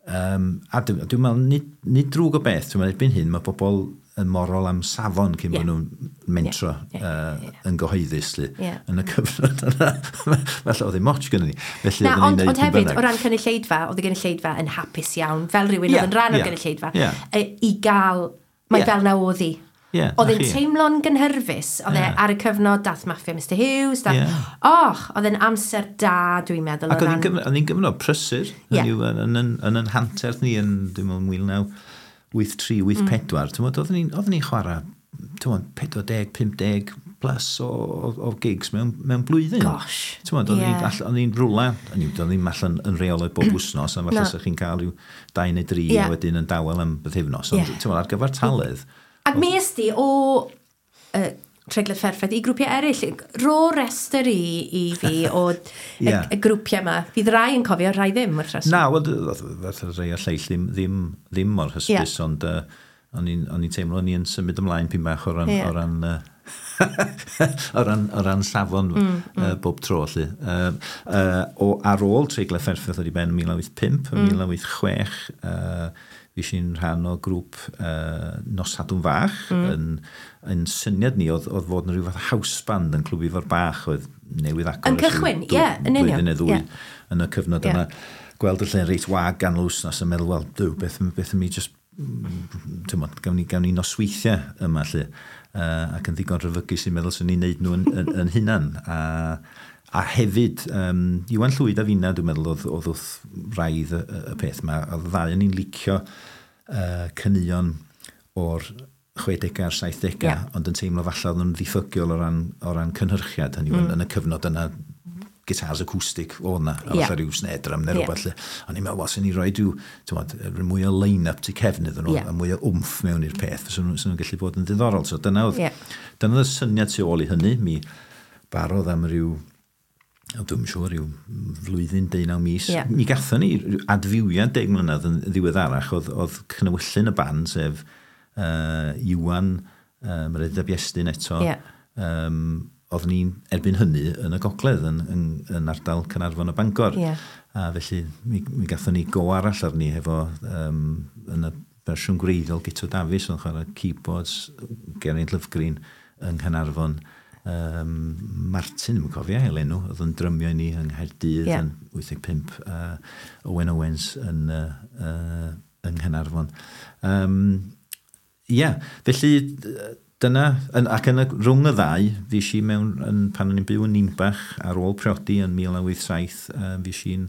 a dwi'n meddwl, nid drwg o beth, dwi'n meddwl, erbyn hyn, mae pobl yn morol am safon cyn bod nhw'n mentro yn gyhoeddus yn y cyfnod yna. Falle oedd ddim ots gynnon ni. Felly na, ond hefyd, o ran cynulleidfa, oedd y gynulleidfa yn hapus iawn, fel rhywun oedd yn rhan o'r gynulleidfa, i gael, mae fel na oedd hi. Oedd e'n teimlo'n gynhyrfus, oedd e ar y cyfnod, dath Maffia Mr Hughes, oedd e'n amser da, dwi'n meddwl. Ac oedd hi'n gyfnod prysur, yn yn hanterth ni yn, dwi'n meddwl, 1983, 84, oedden ni'n chwarae 40, 50 plus o gigs mewn blwyddyn. Gosh. Oedden ni'n rwla, oedden ni'n allan yn rheolaidd bob wythnos, a falle sa chi'n cael rhyw 2 neu 3 a wedyn yn dawel am bythefnos, ond ar gyfer taledd. Ac mi est di o Treiglad Pherffaith i grwpiau eraill. Ro restr i fi o y grwpiau yma. Fydd rai yn cofio, rai ddim wrth reswm. Na, wel, fath rhai a lleill ddim mor hysbys, ond o'n i'n teimlo o'n i'n symud ymlaen pyn bach o ran o ran safon bob tro, lly. Ar ôl Treiglad Pherffaith oedd i ben yn 1985, yn 1986, fi sy'n rhan o grŵp Nos Sadwrn Fach. Yn syniad ni oedd fod yn rhyw fath house band yn Clwb Ifor Bach oedd newydd agor. Yn cychwyn, ie, yn union. Blwyddyn neu ddwy yn y cyfnod yna. Gweld y lle'n reit wag gan wsnos yn meddwl, wel, duw, beth am i just, gawn ni nosweithiau yma, lle. Ac yn ddigon rhyfygus i'n meddwl sy'n ni'n neud nhw yn hunan. A hefyd, Iwan Llwyd a finna, dwi'n meddwl, oedd wrth wraidd y peth yma. Oedd ddau yn ni'n licio caneuon o'r 60au a'r 70au, ond yn teimlo falle oedd nhw'n ddiffygiol o ran cynhyrchiad, hynny yw, yn y cyfnod yna gitars acoustic o na, a falle rhyw snare drum neu rhywbeth lle. O'n i'n meddwl, wel, sy'n ni roi rhyw, mwy o line-up tu cefn iddyn nhw, a mwy o wmff mewn i'r peth, fysa nhw'n gallu bod yn ddiddorol. So dyna oedd y syniad tu ôl i hynny. Mi barodd am ryw, o, dwi'm siŵr, ryw flwyddyn, 18 mis. Mi gathon ni ryw adfywiad 10 mlynedd yn ddiweddarach, oedd cnewyllyn y band, sef Iwan, Meredydd ab Iestyn eto. Oeddwn ni'n erbyn hynny yn y gogledd, yn ardal Caernarfon a Bangor. A felly mi gathon ni go arall arni hefo yn y fersiwn gwreiddiol Guto Dafis yn chwarae keyboards, Geraint Lovgreen yng Nghaernarfon, Martin, dwi'n cofio ail enw, oedd yn drymio i ni yng Nghaerdydd yn 85, Owen Owens yn Nghaernarfon. Ie, yeah, felly dyna, ac rhwng y ddau, fi si mewn, pan o'n i'n byw yn Nimbach ar ôl priodi yn 1987, fi si'n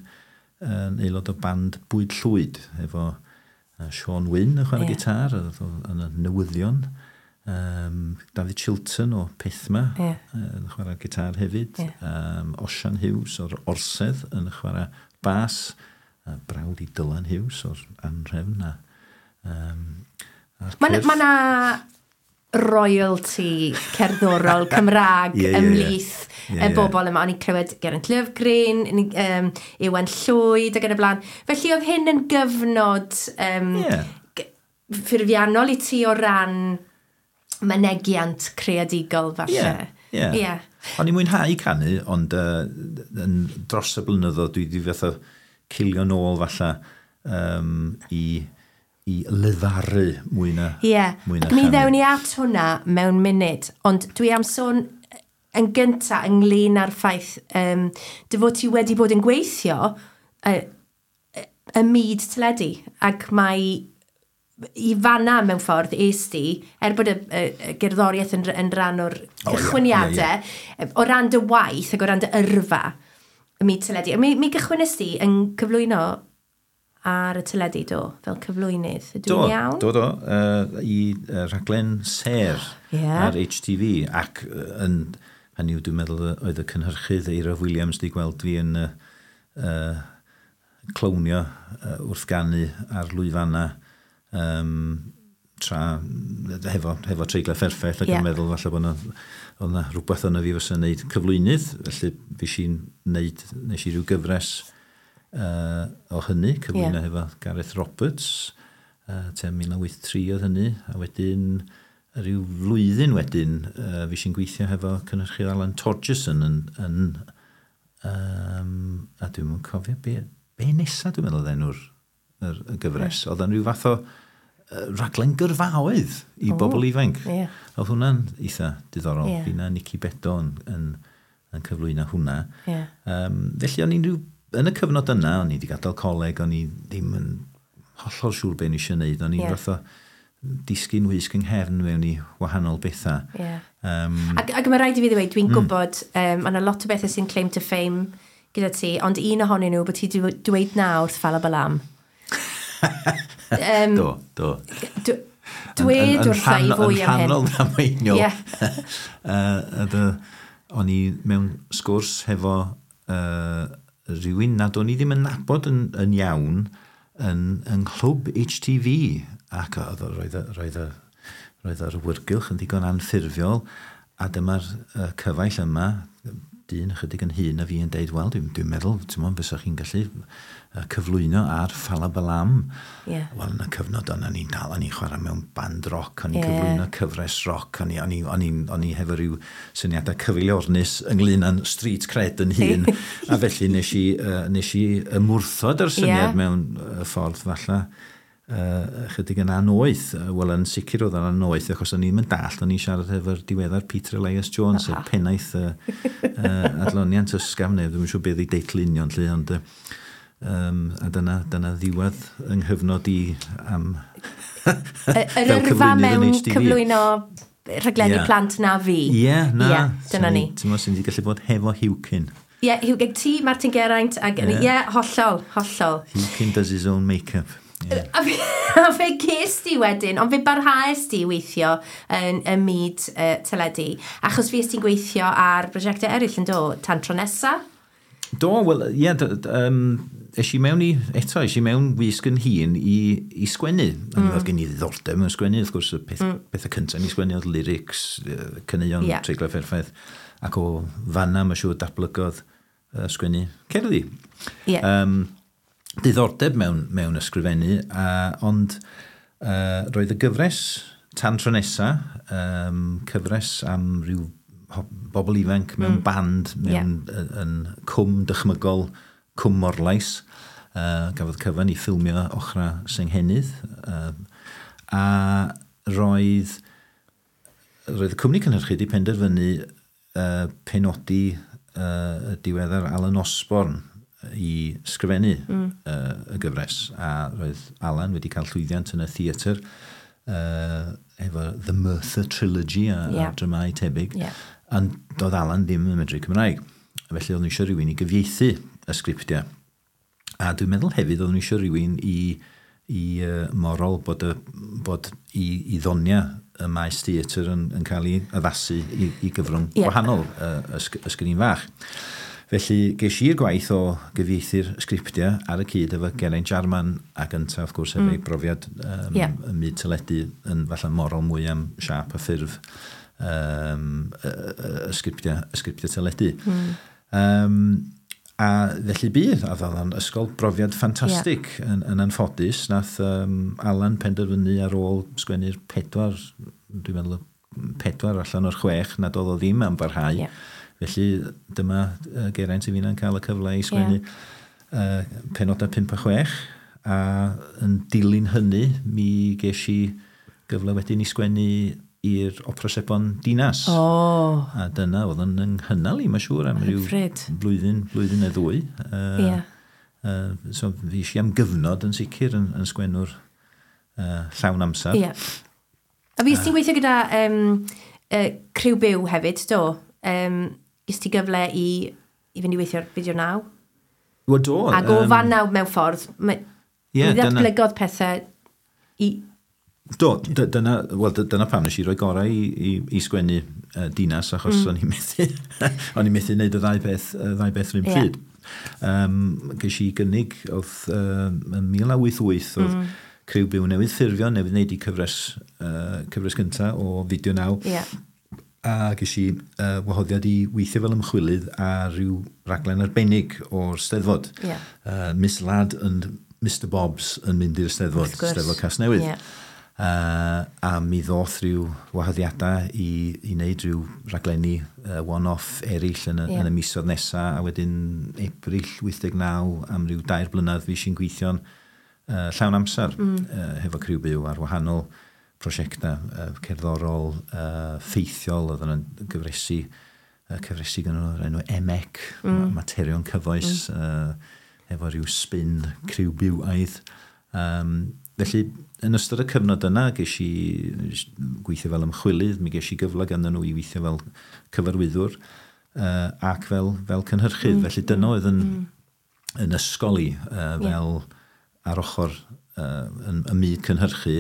yn aelod o band Bwyd Llwyd, efo Sean Wyn yn chwarae gitar, oedd o yn y newyddion, David Chilton o Pethma yn chwarae gitar hefyd, Osian Hughes o'r Orsedd yn chwarae bas, a brawd i Dylan Hughes o'r Anrhefn. A'r Mae cyrff. ma na royalty cerddorol Cymraeg Ie, ie, ie. ymhlith y ie. bobl yma. O'n i'n clywed Geraint Lovgreen, Iwan Llwyd ac yn y blaen. Felly oedd hyn yn gyfnod ffurfiannol i ti o ran mynegiant creadigol falle. Ie. O'n i'n mwynhau canu, ond yn dros y blynyddoedd dwi wedi fatha cilio nôl falle i lefaru mwy na, mwy na Ac mi chanu. ddewn ni at hwnna mewn munud, ond dwi am sôn yn gynta ynglyn â'r ffaith dy fod ti wedi bod yn gweithio y myd teledu, ac mae i fanna mewn ffordd es di, er bod y gerddoriaeth yn rhan o'r O, ie, cychwyniadau, o ran dy waith ac o ran dy yrfa y myd teledu. A mi gychwynnes di yn cyflwyno ar y teledu, do, fel cyflwynydd. Ydw Do, i'n iawn? do, i rhaglen Ser ar HTV ac yn, hynny yw, dwi'n meddwl oedd y cynhyrchydd Eira Williams di gweld fi yn clownio wrth ganu ar lwyfanna tra hefo treiglau fferffell ac yn meddwl falle bod 'na, oedd 'na rhywbeth yna fi fysa'n neud cyflwynydd, felly fi si'n neud, nes i ryw gyfres o hynny, cyflwyno hefo Gareth Roberts, tua 1983 oedd hynny, a wedyn rhyw flwyddyn wedyn, fi si'n gweithio hefo cynhyrchydd Alan Torgerson yn, a dwi'm yn cofio be nesa dwi'n meddwl oedd enw'r y gyfres. Oedd yn rhyw fath o raglen gyrfaoedd i bobl ifanc. Oedd hwnna'n eitha diddorol. Fi na Nicky Bedo yn cyflwyno hwnna. Felly o'n i'n rhyw, yn y cyfnod yna, o'n i wedi gadael coleg, o'n i ddim yn hollol siŵr be o'n i eisiau gwneud. O'n i'n fath o disgyn wysg yng nghefn mewn i wahanol bethau. Ac mae rhaid i fi ddweud, dwi'n gwybod, mae yna lot o bethau sy'n claim to fame gyda ti, ond un ohonyn nhw bod ti wedi dweud na wrth Fala Balam. Do. Dwed wrtha i fwy am hyn. Yn rhannol ddamweiniol. O'n i mewn sgwrs hefo rhywun nad o'n i ddim yn nabod yn iawn yn nghlwb HTV ac oedd roedd yr awyrgylch yn ddigon anffurfiol a dyma'r cyfaill yma, dyn ychydig yn hŷn na fi, yn deud, "Wel, dwi'n meddwl, ti'n mwyn, fysa chi'n gallu cyflwyno ar Ffala Balam." Wel, yn y cyfnod yna, ni'n dal, o'n i'n chwarae mewn band rock, o'n i'n cyflwyno cyfres rock, o'n i hefo rhyw syniadau cyfeiliornus ynglyn â'n street cred yn hun, a felly nes i ymwrthod yr syniad mewn ffordd falle chydig yn anoeth. Wel, yn sicr oedd yn anoeth, achos o'n i'n mynd dallt, o'n i'n siarad efo'r diweddar Peter Elias Jones, sef pennaeth adloniant ysgafn, neu ddim yn siŵr beth ei deitl union, lle, ond a dyna ddiwedd yng nghyfnod i am Yr fel yrfa cyflwynydd yn mewn HTV. cyflwyno rhaglenni plant na fi. Ie, na. Ie, dyna ni. Ti'n meddwl sy'n di gallu bod hefo Huwcyn. Ie, Hugh, ti, Martin Geraint, ac ie, hollol, hollol. Huwcyn does his own make-up. Yeah. A fe ges di wedyn, ond fe barhaes di weithio yn y myd teledu, achos fi ti'n gweithio ar brosiectau eraill yn do, tan tro nesa? Do, wel, ie, yeah, es i mewn i, eto, es i mewn wisg yn hun i sgwennu. Oedd gen i ddiddordeb mewn sgwennu, wrth gwrs, y peth, pethau cyntaf ni sgwennu oedd lyrics, caneuon, yeah. Treiglau perffaith, ac o fanna, mae'n siŵr, datblygodd sgwennu cerddi. Yeah. Diddordeb mewn ysgrifennu, ond roedd y gyfres Tan Tro Nesa, cyfres am ryw bobl ifanc mewn band, mewn yn cwm dychmygol, Cwm Morlais, gafodd cyfan i ffilmio ochra Senghennydd, a roedd y cwmni cynhyrchu wedi penderfynu penodi y diweddar Alan Osborne i sgrifennu y gyfres, a roedd Alan wedi cael llwyddiant yn y theatr efo The Merthyr Trilogy a dramâu tebyg, ond doedd Alan ddim yn medru Cymraeg. Felly oedd nhw eisiau rhywun i gyfieithu y sgriptiau. A dwi'n meddwl hefyd oedd nhw eisiau rhywun i morol bod i ddonia y maes theatr yn cael ei addasu i gyfrwng gwahanol, y sgrin fach. Felly ges i'r gwaith o gyfieithu'r sgriptiau ar y cyd efo Geraint Jarman ac yntaf, wrth gwrs, efo ei brofiad ym myd teledu yn falle morol mwy am siâp a ffurf y sgriptiau teledu. A felly bydd, a oedd o'n ysgol brofiad ffantastig yn anffodus. Nath Alan penderfynu ar ôl sgwennu'r 4, dwi'n meddwl 4 allan o'r 6, nad oedd o ddim am barhau. Yeah. Felly dyma Geraint i finna'n cael y cyfle i sgwennu penodau 5 a 6, a yn dilyn hynny mi ges i gyfle wedyn i sgwennu i'r Opera Sebon Dinas. Oh. A dyna oedd yn nghynnal i, mae'n siŵr, am ryw blwyddyn neu ddwy. So fi eisiau am gyfnod yn sicr yn sgwennwr llawn amser. Yeah. A fi ti'n gweithio gyda Criw Byw hefyd, do? Ges ti gyfle i fynd i weithio ar Fideo 9? Wel, do. Ac o fan 9 mewn ffordd, mi ddatblygodd pethau i... Do, dyna pam nes i roi gorau i sgwennu Dinas, achos o'n i'n methu, o'n i'n methu wneud y ddau beth rhywun pryd. Ges i gynnig, oedd yn 1988, oedd Criw Byw newydd ffurfio, newydd wneud i cyfres gyntaf o Fideo 9. Yeah. A ges i wahoddiad i weithio fel ymchwilydd ar ryw raglen arbennig o'r Steddfod. Yeah. Miss Ladd and Mr Bobs yn mynd i'r Steddfod, Steddfod Casnewydd. Yeah. A mi ddoth rhyw wahoddiadau i wneud rhyw raglenni one-off eraill yn y misoedd nesaf, a wedyn Ebrill 89 am ryw 2 blynedd fi sy'n gweithio'n llawn amser hefo Criw Byw ar wahanol prosiectau cerddorol, ffeithiol, oedd yna'n gyfresi gyda nhw'r enw EMEC, materion cyfoes, efo rhyw spin Criw Bywaidd. Felly, yn ystod y cyfnod yna, ges i gweithio fel ymchwilydd, mi ges i gyfle ganddyn nhw i weithio fel cyfarwyddwr ac fel cynhyrchydd. Felly dyna oedd yn ysgol i, fel ar ochr yn myd cynhyrchu,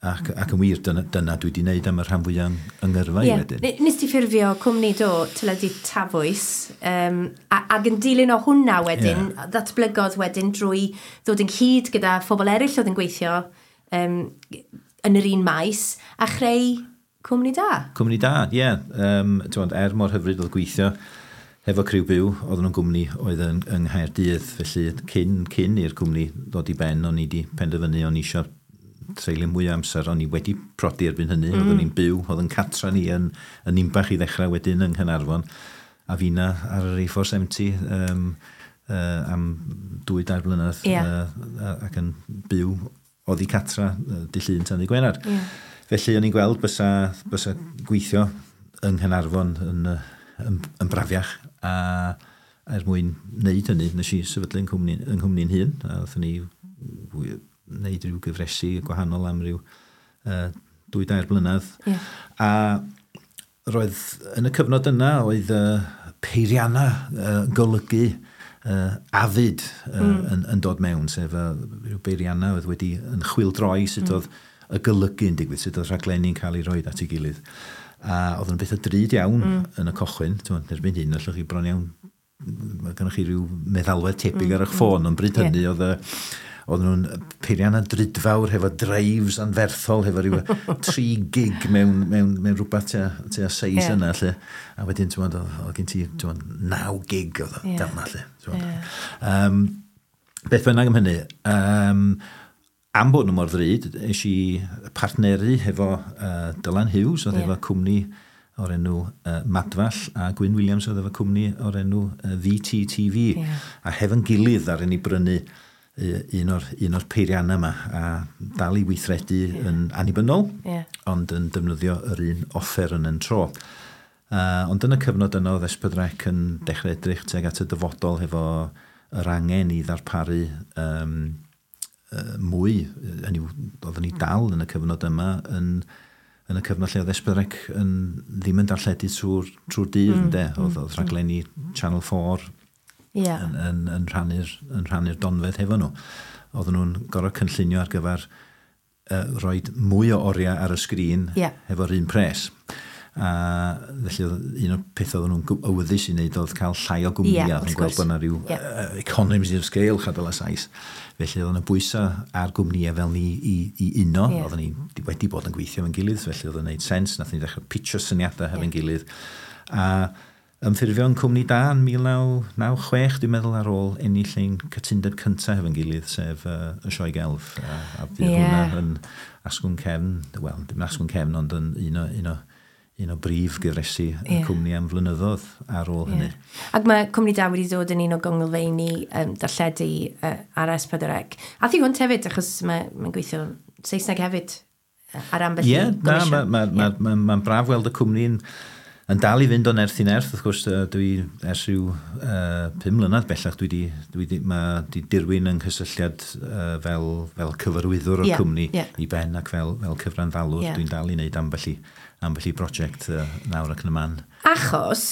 ac yn wir, dyna dwi wedi wneud am y rhan fwyaf yng ngyrfa i wedyn. Nes ti ffurfio cwmni do, Teledu Tafwys, ac yn dilyn o hwnna wedyn, ddatblygodd wedyn drwy ddod ynghyd gyda phobl eraill oedd yn gweithio yn yr un maes, a chreu cwmni da. Cwmni da, ie. Yeah. Mor hyfryd oedd gweithio hefo Criw Byw, oedden nhw'n gwmni oedd yng Nghaerdydd, felly cyn i'r cwmni ddod i ben, o'n i wedi penderfynu, o'n i eisiau treulio mwy o amser, o'n i wedi prodi erbyn hynny, oeddwn i'n byw, oedd yn catra ni yn Nimbach i ddechrau wedyn yng Nghaernarfon, a finna ar yr A470 am 2-3 blynedd ac yn byw oddi catra dydd Llun tan ddydd Gwener. Yeah. Felly o'n i'n gweld bysa gweithio yng Nghaernarfon yn brafiach, a er mwyn wneud hynny, nes i sefydlu yng nghwmni'n hun, a wnaethon ni wneud rhyw gyfresi gwahanol am ryw 2-3 blynedd. Yeah. A roedd yn y cyfnod yna oedd peirianna golygu Avid yn dod mewn, sef rhyw beiriannau oedd wedi yn chwildroi sut oedd y golygu yn digwydd, sut oedd rhaglenni'n cael ei roed at ei gilydd. A oedd yn beth o drud iawn yn y cochwyn, ti'n erbyn hyn, allwch chi bron iawn, mae gennych chi rhyw meddalwedd tebyg ar eich ffôn, ond bryd hynny oedd nhw'n peiriannau drudfawr hefo drives anferthol, hefo rhyw 3 gig mewn rhywbeth tua seis yna, lle. A wedyn, ti'n gwbod, oedd gen ti, ti'n gwbod, 9 gig oedd o fel 'na, lle. Ti'n gwbod. Beth bynnag am hynny, am bod nhw mor ddrud, es i partneru hefo Dylan Hughes, oedd efo cwmni o'r enw Madfall, a Gwyn Williams oedd efo cwmni o'r enw VTTV. A hefo'n gilydd ar ni brynu un o'r peiriannau yma a dal i weithredu yn annibynnol, ond yn defnyddio yr un offer yn tro. Ond yn y cyfnod yno, oedd S4C yn dechrau edrych tuag at y dyfodol hefo yr angen i ddarparu mwy. Hynny yw, oedden ni dal yn y cyfnod yma yn y cyfnod lle oedd S4C yn, ddim yn darlledu trwy'r dydd, ynde? Oedd rhaglenni Channel 4 yn rhannu'r donfedd hefo nhw. Oedden nhw'n gorfod cynllunio ar gyfer rhoi mwy o oriau ar y sgrin hefo'r un pres. A felly oedd un o'r pethau oedden nhw'n awyddus i wneud oedd cael llai o gwmnïau. Ie, wrth Oedd yn gweld gwrs. bod yna rhyw economies of scale, chadel a sais. Felly oedd yna bwysau ar gwmnïau fel ni i uno. Oedden ni wedi bod yn gweithio efo'n gilydd, felly oedd yn gwneud sens. Nath ni ddechrau pitcho syniadau hefo'n gilydd. A ymffurfio'n cwmni da yn 1996, dwi'n meddwl, ar ôl ennill ein cytundeb cyntaf hefo'n gilydd, sef y Sioe Gelf. A fydd hwnna yn asgwrn cefn, wel, dim asgwrn cefn, ond yn un o brif gyfresi y cwmni am flynyddoedd ar ôl hynny. Ac mae Cwmni Da wedi dod yn un o gonglfeini darlledu ar S4C. A thi hwnt hefyd, achos mae gweithio Saesneg hefyd ar ambell Ie, i na, gomisiwn. ma braf weld y cwmni'n yn dal i fynd o nerth i nerth. Wrth gwrs, dwi ers rhyw 5 mlynedd bellach, mae di dirwyn yng nghysylltiad fel cyfarwyddwr o'r cwmni i ben ac fel cyfranddalwr. Dwi'n dal i wneud ambell i brosiect nawr ac yn y man. Achos,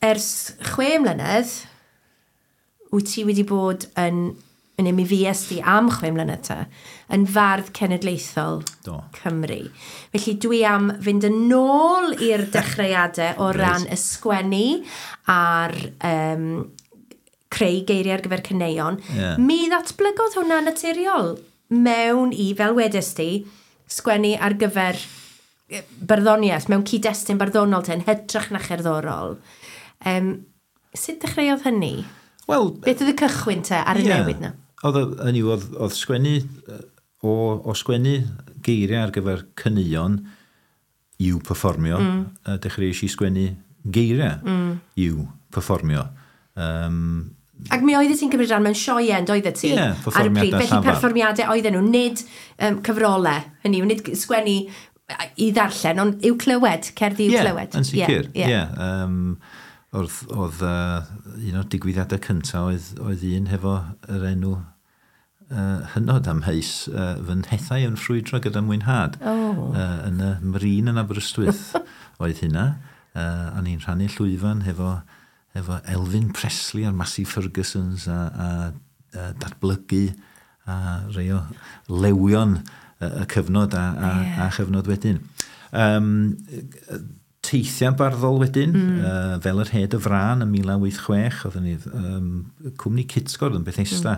ers 6 mlynedd, wyt ti wedi bod yn mi fues di am 6 mlynedd ta, yn fardd cenedlaethol Cymru. Felly dwi am fynd yn ôl i'r dechreuadau o ran y sgwennu a'r creu geiriau ar gyfer caneuon. Mi ddatblygodd hwnna naturiol mewn i, fel wedes di, sgwennu ar gyfer barddoniaeth, mewn cyd-destun barddonol te, yn hytrach na cherddorol. Sut dechreuodd hynny? Wel, Beth oedd y cychwyn te ar y newid na? Oedd, hynny yw, oedd sgwennu, o sgwennu geiriau ar gyfer caneuon i'w perfformio, dechreuais i sgwennu geiriau i'w perfformio. Ac mi oeddet ti'n cymryd rhan mewn sioeau, yn doeddet ti? Ie, Ar y pryd. perfformiadau Felly llafar. perfformiadau oedden nhw, nid cyfrolau. Hynny yw, nid sgwennu i ddarllen, ond i'w clywed, cerddi i'w Ie, clywed. yn sicr. Ie, Ie. Oedd un o'r digwyddiadau cyntaf oedd un hefo yr enw hynod amheus, "Fy Nhethau yn Ffrwydro gyda Mwynhad". Oh. Yn y Marine yn Aberystwyth oedd hynna. A ni'n rhannu llwyfan hefo Elfyn Presley a'r Massey Fergusons a Datblygu a rei o lewion y cyfnod a chyfnod wedyn. Teithiau barddol wedyn, fel yr Hed y Frân yn 1986, oedden ni cwmni Cytgord yn Bethesda,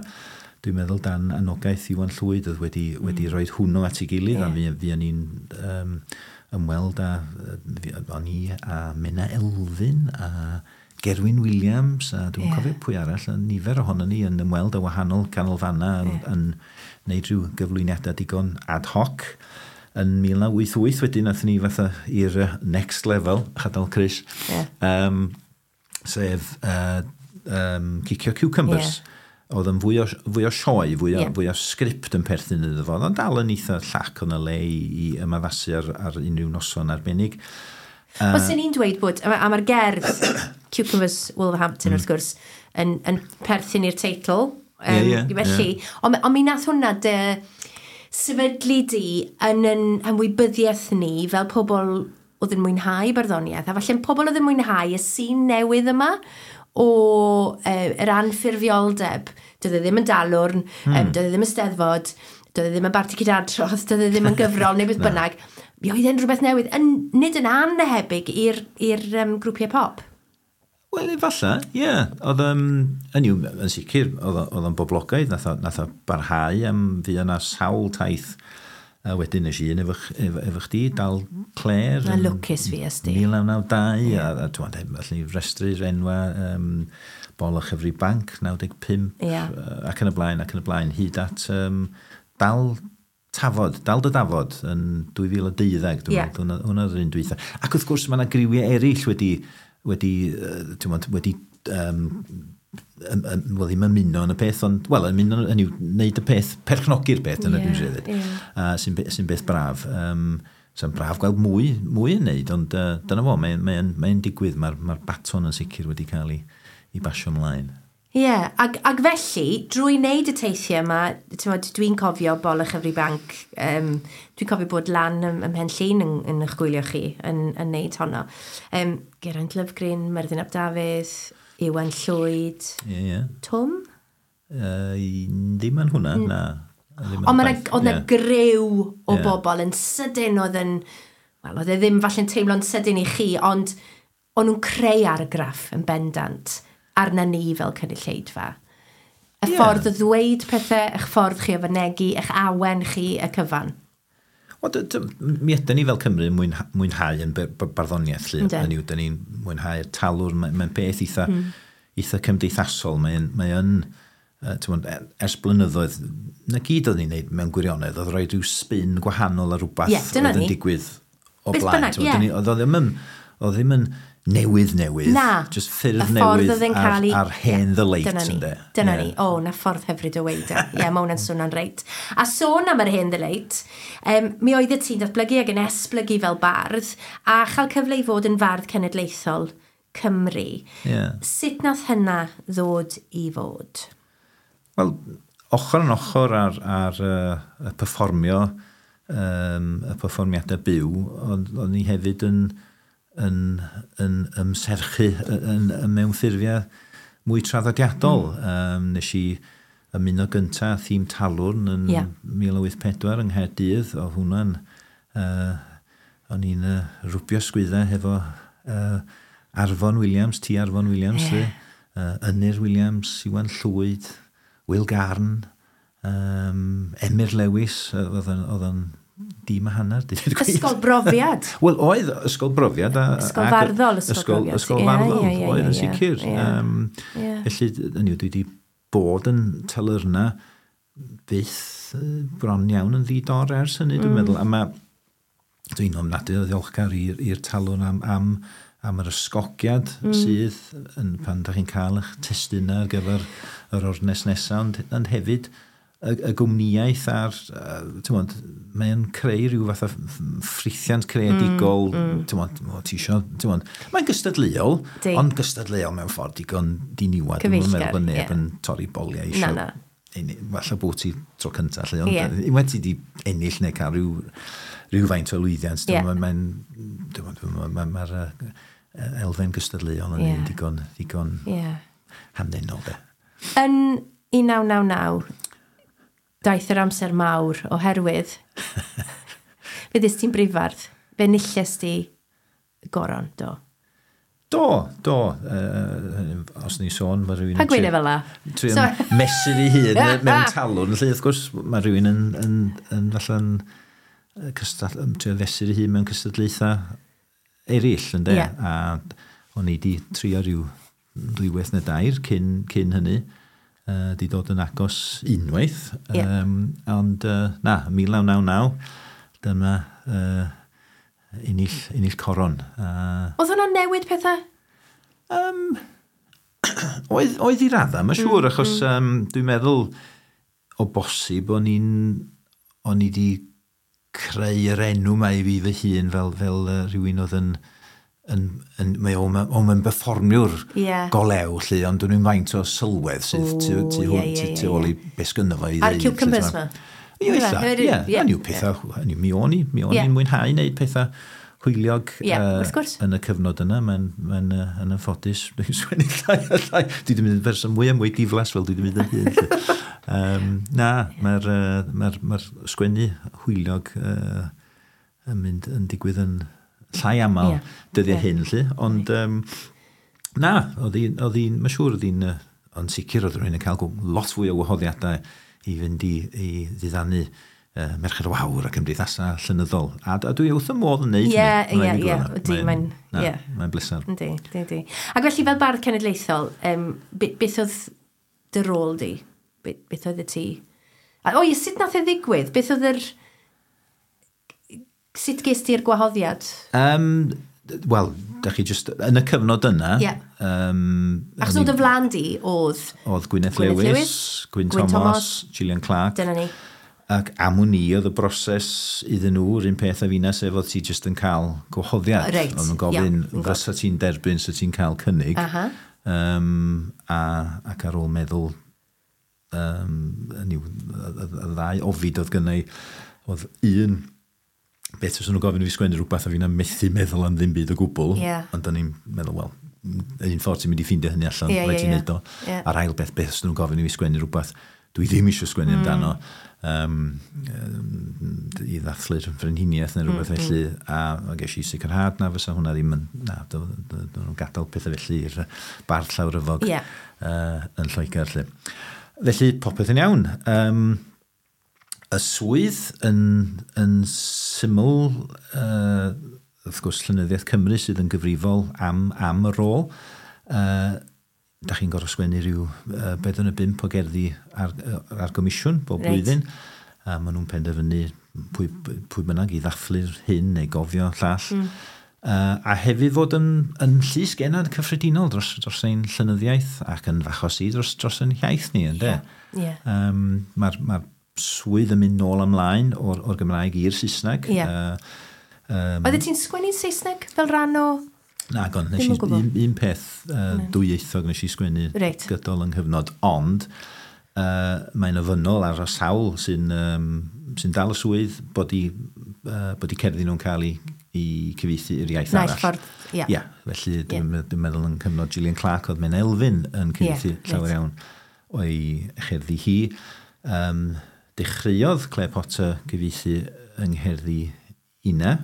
dwi'n meddwl dan anogaeth Iwan Llwyd oedd wedi rhoi hwnnw at ei gilydd, a fi o'n i'n ymweld â, o'n i a Menna Elfyn a Gerwyn Williams, a dwi'n cofio pwy arall, a nifer ohonon ni yn ymweld â wahanol canolfannau yn wneud rhyw gyflwyniadau digon ad hoc. Yn 1988 wedyn, nathon ni fatha i'r next level, chadal Chris, sef Cicio Cucumbers. Oedd yn fwy o sioe, fwy o sgript yn perthyn iddo fo. Oedd o'n dal yn eitha llac o'n y le i ymaddasu ar unrhyw noson arbennig. Wel, sy'n ni'n dweud bod, a mae'r gerdd Cucumbers Wolverhampton, wrth gwrs, yn perthyn i'r teitl. Ie, ie, Felly, ond mi nath hwnna dy sefydlu di yn ymwybyddiaeth ni fel pobl oedd yn mwynhau barddoniaeth, a falle pobl oedd yn mwynhau y sîn newydd yma o yr anffurfioldeb. Doedd e ddim yn dalwrn, doedd e ddim yn steddfod, doedd e ddim yn barti cydadrodd, doedd e ddim yn gyfrol neu beth bynnag. Mi oedd e'n rhywbeth newydd, yn, nid yn anhebyg i'r grwpiau pop. Wel, efallai, ie. Yeah. Oedd, yn yw, yn sicr, oedd o'n boblogaidd, nath o barhau am fi yna sawl taith. A wedyn nes i un efo chdi, Dal Clare. Na lwcus fi ysdi. 1992, yeah. A dwi'n meddwl, allan ni restru'r enwa, Bol a Chyfri Banc, 95, yeah. Ac yn y blaen, ac yn y blaen, hyd at Dal Tafod, Dal dy Dafod yn 2012, dwi'n meddwl, hwnna oedd yr un dwytha. Ac wrth gwrs, mae yna griwiau eraill wedi wel, ddim ymuno yn y peth, ond, wel, ymuno yn yw wneud y peth, perchnogi'r peth, dyna dwi'n siarad dweud, sy'n beth braf. Sy'n braf gweld mwy yn wneud, ond dyna fo, mae'n digwydd, mae'r baton yn sicr wedi cael ei basio ymlaen. Ie, yeah, ag felly, drwy wneud y teithiau yma, dwi'n cofio Bol a Chyfri Banc, dwi'n cofio bod lan ym Mhen Llŷn yn eich gwylio chi yn wneud honno. Geraint Lovgreen, Myrddin ap Dafydd, Iwan Llwyd, yeah. Twm? Ddim yn hwnna, na. Ond oedd yna griw o bobl yn sydyn oedd yn, wel, oedd e ddim falle'n teimlo'n sydyn i chi, ond o'n nhw'n creu argraff yn bendant arna ni fel cynulleidfa. Y ffordd o ddweud pethau, eich ffordd chi o fynegi, eich awen chi, y cyfan. Wel, mi ydyn ni fel Cymru mwynhau yn barddoniaeth, lly. Hynny yw, dyn ni'n mwynhau'r talwr, mae'n beth eitha cymdeithasol, mae'n ers blynyddoedd, na gyd oedd ni'n neud mewn gwirionedd, oedd rhoi rhyw spin gwahanol ar rhywbeth oedd yn digwydd o blaen. Oedd ddim yn newydd, na, just ffyrdd newydd ar hen ddyleit. Dyna ni. O, na ffordd hyfryd o weud e. Ie, mae hwnna'n swnio'n reit. A sôn am yr hen ddyleit, mi oeddet ti'n datblygu ac yn esblygu fel bardd a chael cyfle i fod yn fardd cenedlaethol Cymru. Yeah. Sut nath hynna ddod i fod? Wel, ochr yn ochr ar y perfformio, y perfformiadau byw, ond ni hefyd yn ymserchu yn mewn ffurfiau mwy traddodiadol. Nes i ymuno gynta thîm Talwrn yn 1984 yng Nghaerdydd. Oedd hwnna'n o'n i'n rwbio sgwyddau hefo Arfon Williams, T. Arfon Williams, Ynyr Williams, Iwan Llwyd, Will Garn, Emyr Lewis, oedd yn dim a hanner. Ysgol brofiad. Wel, oedd ysgol brofiad. Ysgol farddol, ysgol brofiad. Ysgol farddol, oedd yn sicr. Felly, dwi wedi bod yn talyrna byth bron iawn yn ddi-dor ers hynny, dwi'n meddwl. A mae, dwi'n ofnadwy o ddiolchgar i'r talwrn am yr ysgogiad sydd yn, pan da chi'n cael eich testunau ar gyfer yr ornest nesaf, ond hefyd y gwmnïaeth a'r, ti'n mae'n creu rhyw fath o ffrithiant creadigol, ti'n ti isio, ti'n mae'n gystadleuol, ond gystadleuol mewn ffordd digon diniwad. Cyfeillgar, dwi'n meddwl bod neb yn torri boliau isio. Na. Falle bod ti tro cyntaf, lle, ond unwaith ti di ennill neu cael rhywfaint o lwyddiant, mae'r elfen gystadleuol yn un digon hamddenol, de. Yn 1999, daeth yr amser mawr oherwydd fe ddys ti'n brifardd, fe nilles ti goron, do? Do. Os ni sôn, mae rhywun... Pa gwyne fel la? Trio mesur ei hun mewn talwrn. Felly, wrth gwrs, mae rhywun yn falle'n trio fesur ei hun mewn cystadlaethau eraill, ynde? Yeah. A o'n i di trio rhyw ddwywaith neu dair cyn hynny. Di dod yn agos unwaith. Yeah. Ond na, 1999, dyma ennill coron. Oedd hwnna'n newid pethau? Oedd i raddau, mae'n siŵr, achos dwi'n meddwl o bosib o'n i di creu yr enw ma i fi fy hun fel rhywun oedd yn mae o'n berfformiwr golew, lle, ond dwi'n faint o sylwedd sydd tu ôl i beth sgynno fo i ddeud. A'r cucumbers ma? Ie, hynny yw pethau, mi o'n i'n mwynhau wneud pethau hwyliog wrth gwrs. Yn y cyfnod yna. Mae'n yn anffodus. Dwi'n sgwennu llai a llai. Dwi wedi mynd yn berson mwy a mwy diflas fel dwi wedi mynd yn hŷn. Na, mae'r ma sgwennu hwyliog yn mynd yn digwydd yn llai aml dyddiau hyn, lly. Ond na, oedd hi'n, mae'n siŵr oedd hi'n, ond sicr oedd rhywun yn cael lot fwy o wahoddiadau i fynd i ddiddanu Merched y Wawr a cymdeithasau llenyddol. A dwi wrth y modd yn neud hynny. Ie, Mae'n bleser. Yndi. Ac felly fel bardd cenedlaethol, beth oedd dy rôl di? Beth oedd y ti? O, ie, sut nath e ddigwydd? Beth oedd yr... Sut ges ti'r gwahoddiad? Wel, da chi just, yn y cyfnod yna... Yeah. Achos oedd y flan di oedd... Oedd Gwyneth Lewis, Gwyn Thomas, Gillian Clark. Dyna ni. Ac am wn i oedd y broses iddyn nhw, yr un peth a finna, sef oedd ti just yn cael gwahoddiad. Reit. Oedd nhw'n gofyn, fysa ti'n derbyn, sa ti'n cael cynnig. Ac ar ôl meddwl, y ddau ofid oedd gynna i, oedd un... Beth os nhw'n gofyn i fi sgwennu rhywbeth a fi'n methu meddwl am ddim byd o gwbl. Yeah. Ond o'n i'n meddwl, wel, un ffordd ti'n mynd i ffeindio hynny allan, rhaid ti'n neud o. Yeah. A'r ail beth, beth os nhw'n gofyn i fi sgwennu rhywbeth, dwi ddim eisiau sgwennu amdano i ddathlu'r frenhiniaeth neu rhywbeth felly. A ges i sicrhad na fysa hwnna ddim yn... Na, nhw'n gadael pethau felly i'r bardd llawryfog yn Lloegr. Lly. Felly, popeth yn iawn. Y swydd yn syml, wrth gwrs, Llenyddiaeth Cymru sydd yn gyfrifol am y rôl. Da chi'n gorfod sgwennu rhyw 4 neu 5 o gerddi ar gomisiwn bob blwyddyn. A maen nhw'n penderfynu pwy bynnag i ddathlu'r hyn neu gofio llall. A hefyd fod yn llys genad cyffredinol dros ein llenyddiaeth ac yn fachos i dros ein hiaith ni, ynde? Yeah. Mae'r swydd yn mynd nôl ymlaen o'r Gymraeg i'r Saesneg. Yeah. Oeddet ti'n sgwennu'n Saesneg fel rhan o... Na, gon, nes i un peth dwyieithog nes i sgwennu gydol yng nghyfnod, ond mae'n ofynnol ar y sawl sy'n dal y swydd bod i cerddi nhw'n cael ei cyfieithu i'r iaith arall. Ffordd, ie. Ie, felly dwi'n meddwl yn cyfnod Gillian Clark oedd Menna Elfyn yn cyfieithu llawer iawn o'i cherddi hi. Dechreuodd Claire Potter gyfieithu yng ngherddi Ina,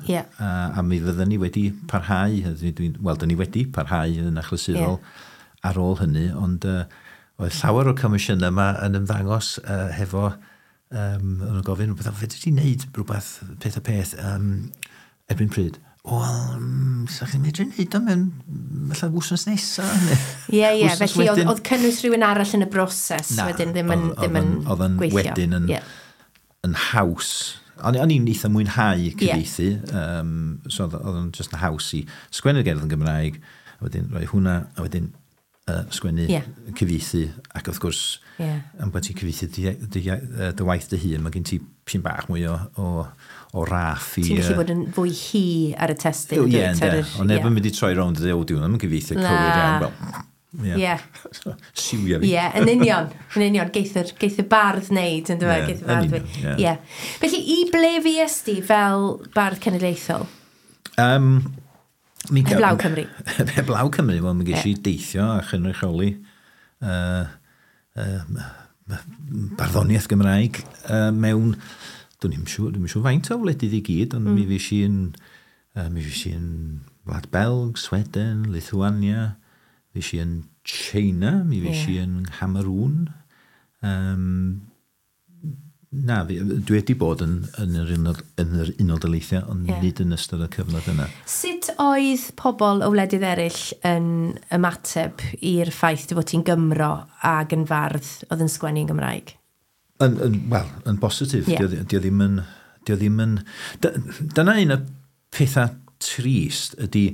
a mi fydden ni wedi parhau, wel, dyn ni wedi parhau yn achlysurol ar ôl hynny, ond oedd llawer o'r comisiynau yma yn ymddangos hefo, o'n nhw'n gofyn, fedri ti wneud rhywbeth, peth a peth, erbyn pryd? Wel, sa chi'n medru wneud o mewn, falle wsnos nesaf? Ie, felly oedd cynnwys rhywun arall yn y broses wedyn ddim yn gweithio. Wedyn yn haws. O'n i'n eitha mwynhau cyfieithu, so oedd o'n just yn haws i sgwennu'r gerdd yn Gymraeg, a wedyn rhoi hwnna, a wedyn sgwennu cyfieithu, ac wrth gwrs, am bod ti'n cyfieithu dy waith dy hun, mae gen ti pyn bach mwy o raff i... Ti'n gallu bod yn fwy hi ar y testun. Ie, ynddo. Ond neb yn mynd i troi rownd y dweud, o, dwi'n yn cyfieithu cywir iawn. Wel, ie. Siwio fi. Ie, yn union. Yn union. Geith y bardd wneud, yn dweud. Geith y bardd wneud. Ie. Felly, i ble fues di fel bardd cenedlaethol? Heblaw Cymru. Heblaw Cymru, wel, mi ges i deithio a chynrychioli barddoniaeth Gymraeg mewn, dwi'n siŵr faint o wledydd i gyd, ond mi fues i yn Wlad Belg, Sweden, Lithuania, fues i yn China, mi fues i yn Cameroon. Na, dwi wedi bod yn yr Unol Daleithiau, ond nid yn ystod y cyfnod yna. Sut oedd pobl o wledydd eraill yn ymateb i'r ffaith dy fod ti'n Gymro ac yn fardd oedd yn sgwennu yn Gymraeg? Wel, yn bositif. Yeah. Dio ddim yn... Dyna un o'r pethau trist ydy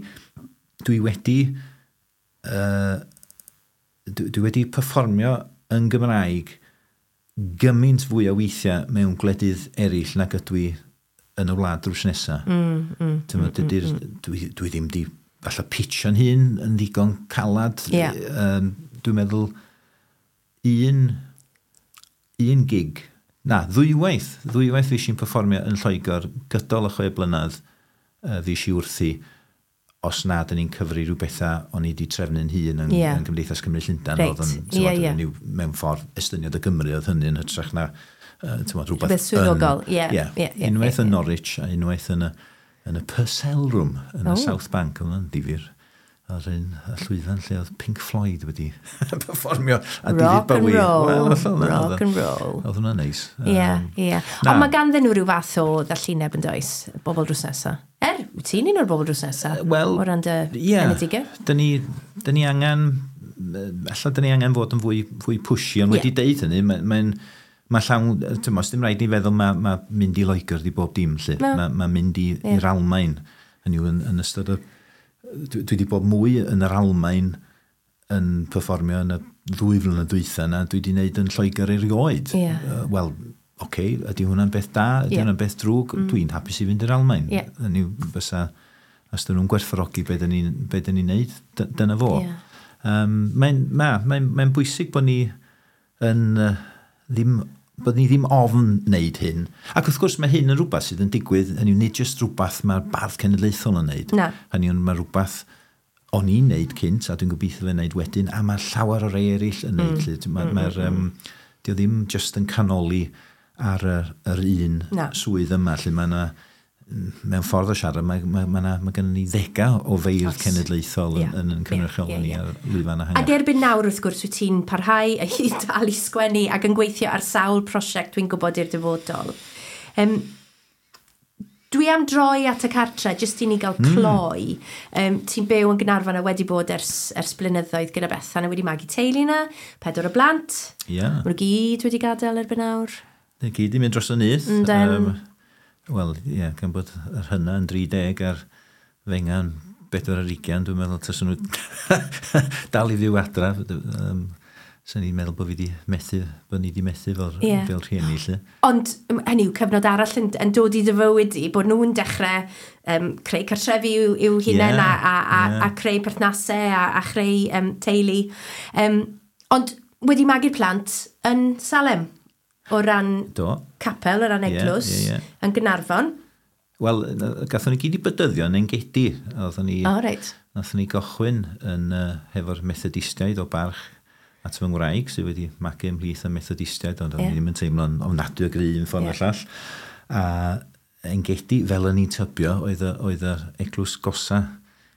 dwi wedi dwi wedi perfformio yn Gymraeg gymaint fwy o weithiau mewn gwledydd eraill nag ydw i yn y wlad drws nesaf. Dwi ddim di falle pitio'n hun yn ddigon calad. Yeah. Dwi'n meddwl un gig, na, ddwywaith fues i'n perfformio yn Lloegr gydol y 6 blynedd Fues i wrthi, os na, dyn ni'n cyfri rhyw bethau o'n i wedi trefnu'n hun yn, yn Cymdeithas Cymru Llundain. Oedd yn, yeah, mewn ffordd estyniad y Gymru oedd hynny yn hytrach na rhywbeth rhywbeth swyddogol, ie. Unwaith yn Norwich a unwaith yn y Purcell Room yn y South Bank, oedd hwnna'n difyr. Ar un y llwyfan lle oedd Pink Floyd wedi performio a David Bowie. Rock and roll. Rock and roll. Oedd hwnna'n neis. Ie, ie. Ond mae ganddyn nhw rhyw fath o ddallineb yn does, bobl drws nesa. Wyt ti'n un o'r bobl drws nesa? Wel, o ran dy enedigaeth? Dyn ni, dyn ni angen, ella dyn ni angen fod yn fwy pushy, ond wedi deud hynny, mae'n mae llawn, ti'n dim rhaid ni feddwl mae mynd i Loegr di bob dim, lle. No. Mae mynd i'r Almain, hynny yw yn ystod y... Dwi wedi bod mwy yn yr Almain yn perfformio yn y 2 flynedd dwytha na dwi wedi wneud yn Lloegr erioed. Wel, oce, okay, ydy hwnna'n beth da, ydy hwnna'n beth drwg? Dwi'n hapus i fynd i'r Almain. Hynny yw, fysa, os dyn nhw'n gwerthfawrogi be dyn ni'n ni neud, dyna fo. Mae'n mae bwysig bod ni yn ddim bod ni ddim ofn wneud hyn. Ac wrth gwrs mae hyn yn rhywbeth sydd yn digwydd, hynny yw, nid jyst rhywbeth mae'r bardd cenedlaethol yn wneud. Na. Hynny yw, mae rhywbeth o'n i'n wneud cynt, a dwi'n gobeithio fe wneud wedyn, a mae llawer o rei eraill yn wneud. Mae'r, dio ddim jyst yn canoli ar yr un Na. swydd yma, lle mae yna, mewn ffordd o siarad, mae gennym ni ddegau o feirdd cenedlaethol yn cynrychioli ni ar lwyfan Ac ehangach. erbyn nawr, wrth gwrs, wyt ti'n parhau i dal i sgwennu ac yn gweithio ar sawl prosiect dwi'n gwybod i'r dyfodol. Dwi am droi at y cartre, jyst i ni gael cloi. Ti'n byw yn Gaernarfon a wedi bod ers blynyddoedd gyda Bethan a wedi magu teulu yna, pedwar o blant. Maen nhw gyd wedi gadael erbyn nawr. Neu gyd i mynd dros y nyth. Yndyn. Wel, ie, yeah, gan bod yr hynna yn 30 a'r fenga'n 24, dwi'n meddwl taswn nhw dal i fyw adra. Swn i'n meddwl bod fi wedi methu, bod ni wedi methu fel, fel rhieni, lle. Ond hynny yw, cyfnod arall yn dod i dy fywyd i, bod nhw'n dechrau creu cartrefi i'w hunain a creu perthnasau a chreu teulu. Ond wedi magu'r plant yn Salem, o ran capel, o ran eglwys, ie, ie. yn Gaernarfon. Wel, gathon ni gyd i bedyddio yn Engedi. Oedden ni, O, reit. Nathon ni gychwyn yn, hefo'r Methodistiaid o barch at fy ngwraig sydd wedi magu ymhlith y Methodistiaid, ond o'n i ddim yn teimlo'n ofnadwy o gry un ffordd neu'r llall. A Engedi, fel o'n i'n tybio, oedd yr eglwys gosa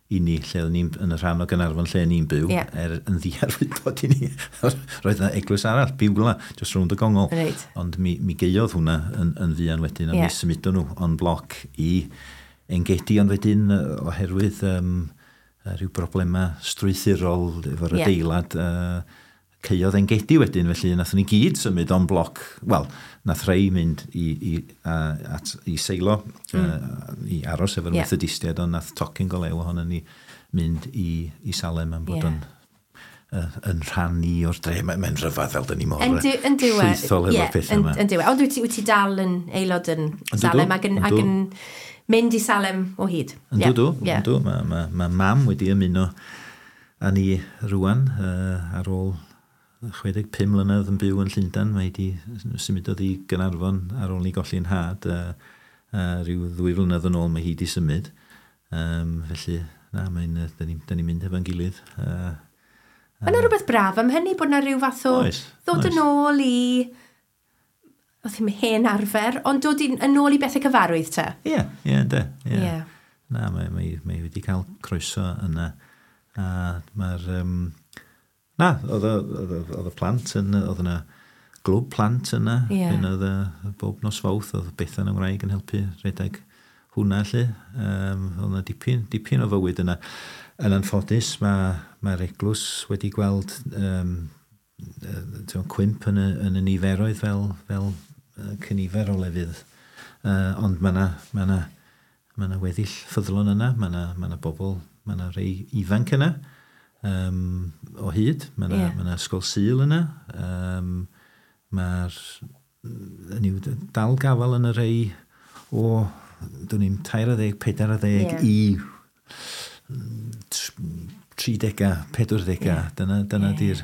i ni, lle o'n i'n yn y rhan o Gaernarfon lle o'n i'n byw, er yn ddiarwybod i ni. Roedd yna eglwys arall, Biwla, just rownd y gongol. Ond mi gaeodd hwnna yn fuan wedyn, a mi symudon nhw en bloc i Engedi, ond wedyn oherwydd rhyw broblemau strwythurol efo'r adeilad, caeodd Engedi wedyn, felly nathon ni gyd symud en bloc. Wel, nath rhai mynd i Seilo, i aros efo'r Methodistiaid, ond nath tocyn go lew ohono ni mynd i Salem am bod yn rhan ni o'r dre. Mae'n rhyfedd fel dyn ni mor Yn diwe. llwythol efo'r pethau yma. Yn diwe. Ond wyt ti dal yn aelod yn Salem ac yn mynd i Salem o hyd? Yndw, dw. Yndw. Mae mam wedi ymuno â ni rwan ar ôl 65 mlynedd yn byw yn Llundain. Mae wedi symudodd i Gaernarfon ar ôl ni golli'n nhad. Rhyw 2 flynedd yn ôl mae hi wedi symud. Felly, na, mae'n, dyn ni'n mynd efo'n gilydd. Mae yna rhywbeth braf am hynny, bod yna rhyw fath o ddod yn ôl i, oedd ddim hen arfer, ond dod yn ôl i bethau cyfarwydd te. Ie, yndê. Ie. Na, mae wedi cael croeso yna. A mae'r... Na, oedd y plant yn... Oedd yna glwb plant yna. Pan oedd bob nos Fawrth, oedd Bethan yng Ngwraig yn helpu rhedeg hwnna, lle. Oedd yna dipyn o fywyd yna. Yn anffodus, mae'r eglwys wedi gweld cwymp yn y niferoedd fel cynifer o lefydd. Ond mae yna ma ma weddill ffyddlon yna, mae yna ma bobl, mae yna rei ifanc yna o hyd. Mae yna ma ysgol Sul yna. Mae'r dal gafel yn y rei o, dwi'n i'n 30, 40 i 30, 40.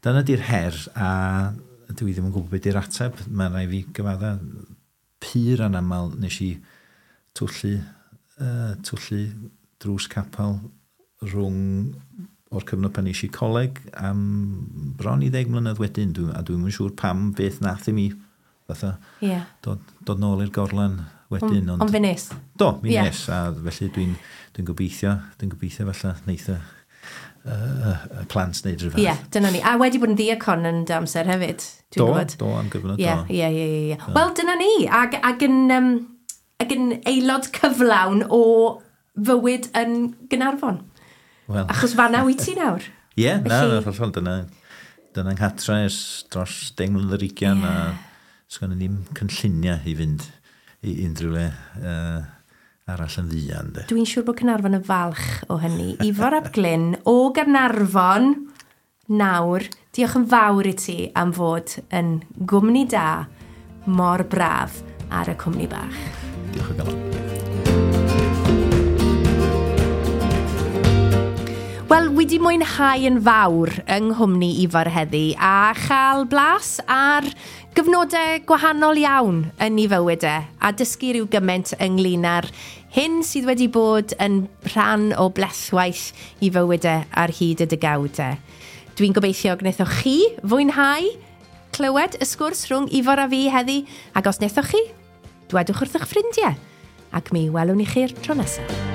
Dyna di'r her, a dwi ddim yn gwybod beth di'r ateb. Mae'n rhaid fi gyfadda pur anamal nes i twyllu twllu drws capel rhwng o'r cyfnod pan eisiau coleg am bron i 10 mlynedd wedyn, a dwi'n yn siŵr pam beth nath i mi fatha dod nôl i'r gorlan wedyn. Ond fe nes? Do, mi nes, a felly dwi'n gobeithio, falle neith y plant wneud rhywbeth. Ie, dyna ni. A wedi bod yn ddiacon yn dy amser hefyd, dwi'n gwybod. Do, am gyfnod, do. Ie. Wel, dyna ni, ac yn aelod cyflawn o fywyd yn Gaernarfon. Well. Achos fan'na wyt ti nawr. Ie, na, hollol, dyna nghatra ers dros 10 mlynedd ar 20, a sgynnon ni ddim cynlluniau i fynd i unrhyw le arall yn ddian. De. Dwi'n siŵr bod Caernarfon yn falch o hynny. Ifor ap Glyn o Gaernarfon nawr, diolch yn fawr i ti am fod yn gwmni da mor braf ar y cwmni bach. Diolch o galon. Wel, wedi mwynhau yn fawr yng nghwmni Ifor heddi a chael blas ar gyfnodau gwahanol iawn yn ei fywyd e a dysgu rhyw gymaint ynglyn â'r hyn sydd wedi bod yn rhan o blethwaith i fywyd e ar hyd y degawdau. Dwi'n gobeithio gwnaethoch chi fwynhau clywed y sgwrs rhwng Ifor a fi heddi, ac os wnaethoch chi, dwedwch wrth eich ffrindiau, ac mi welwn i chi'r tro nesaf.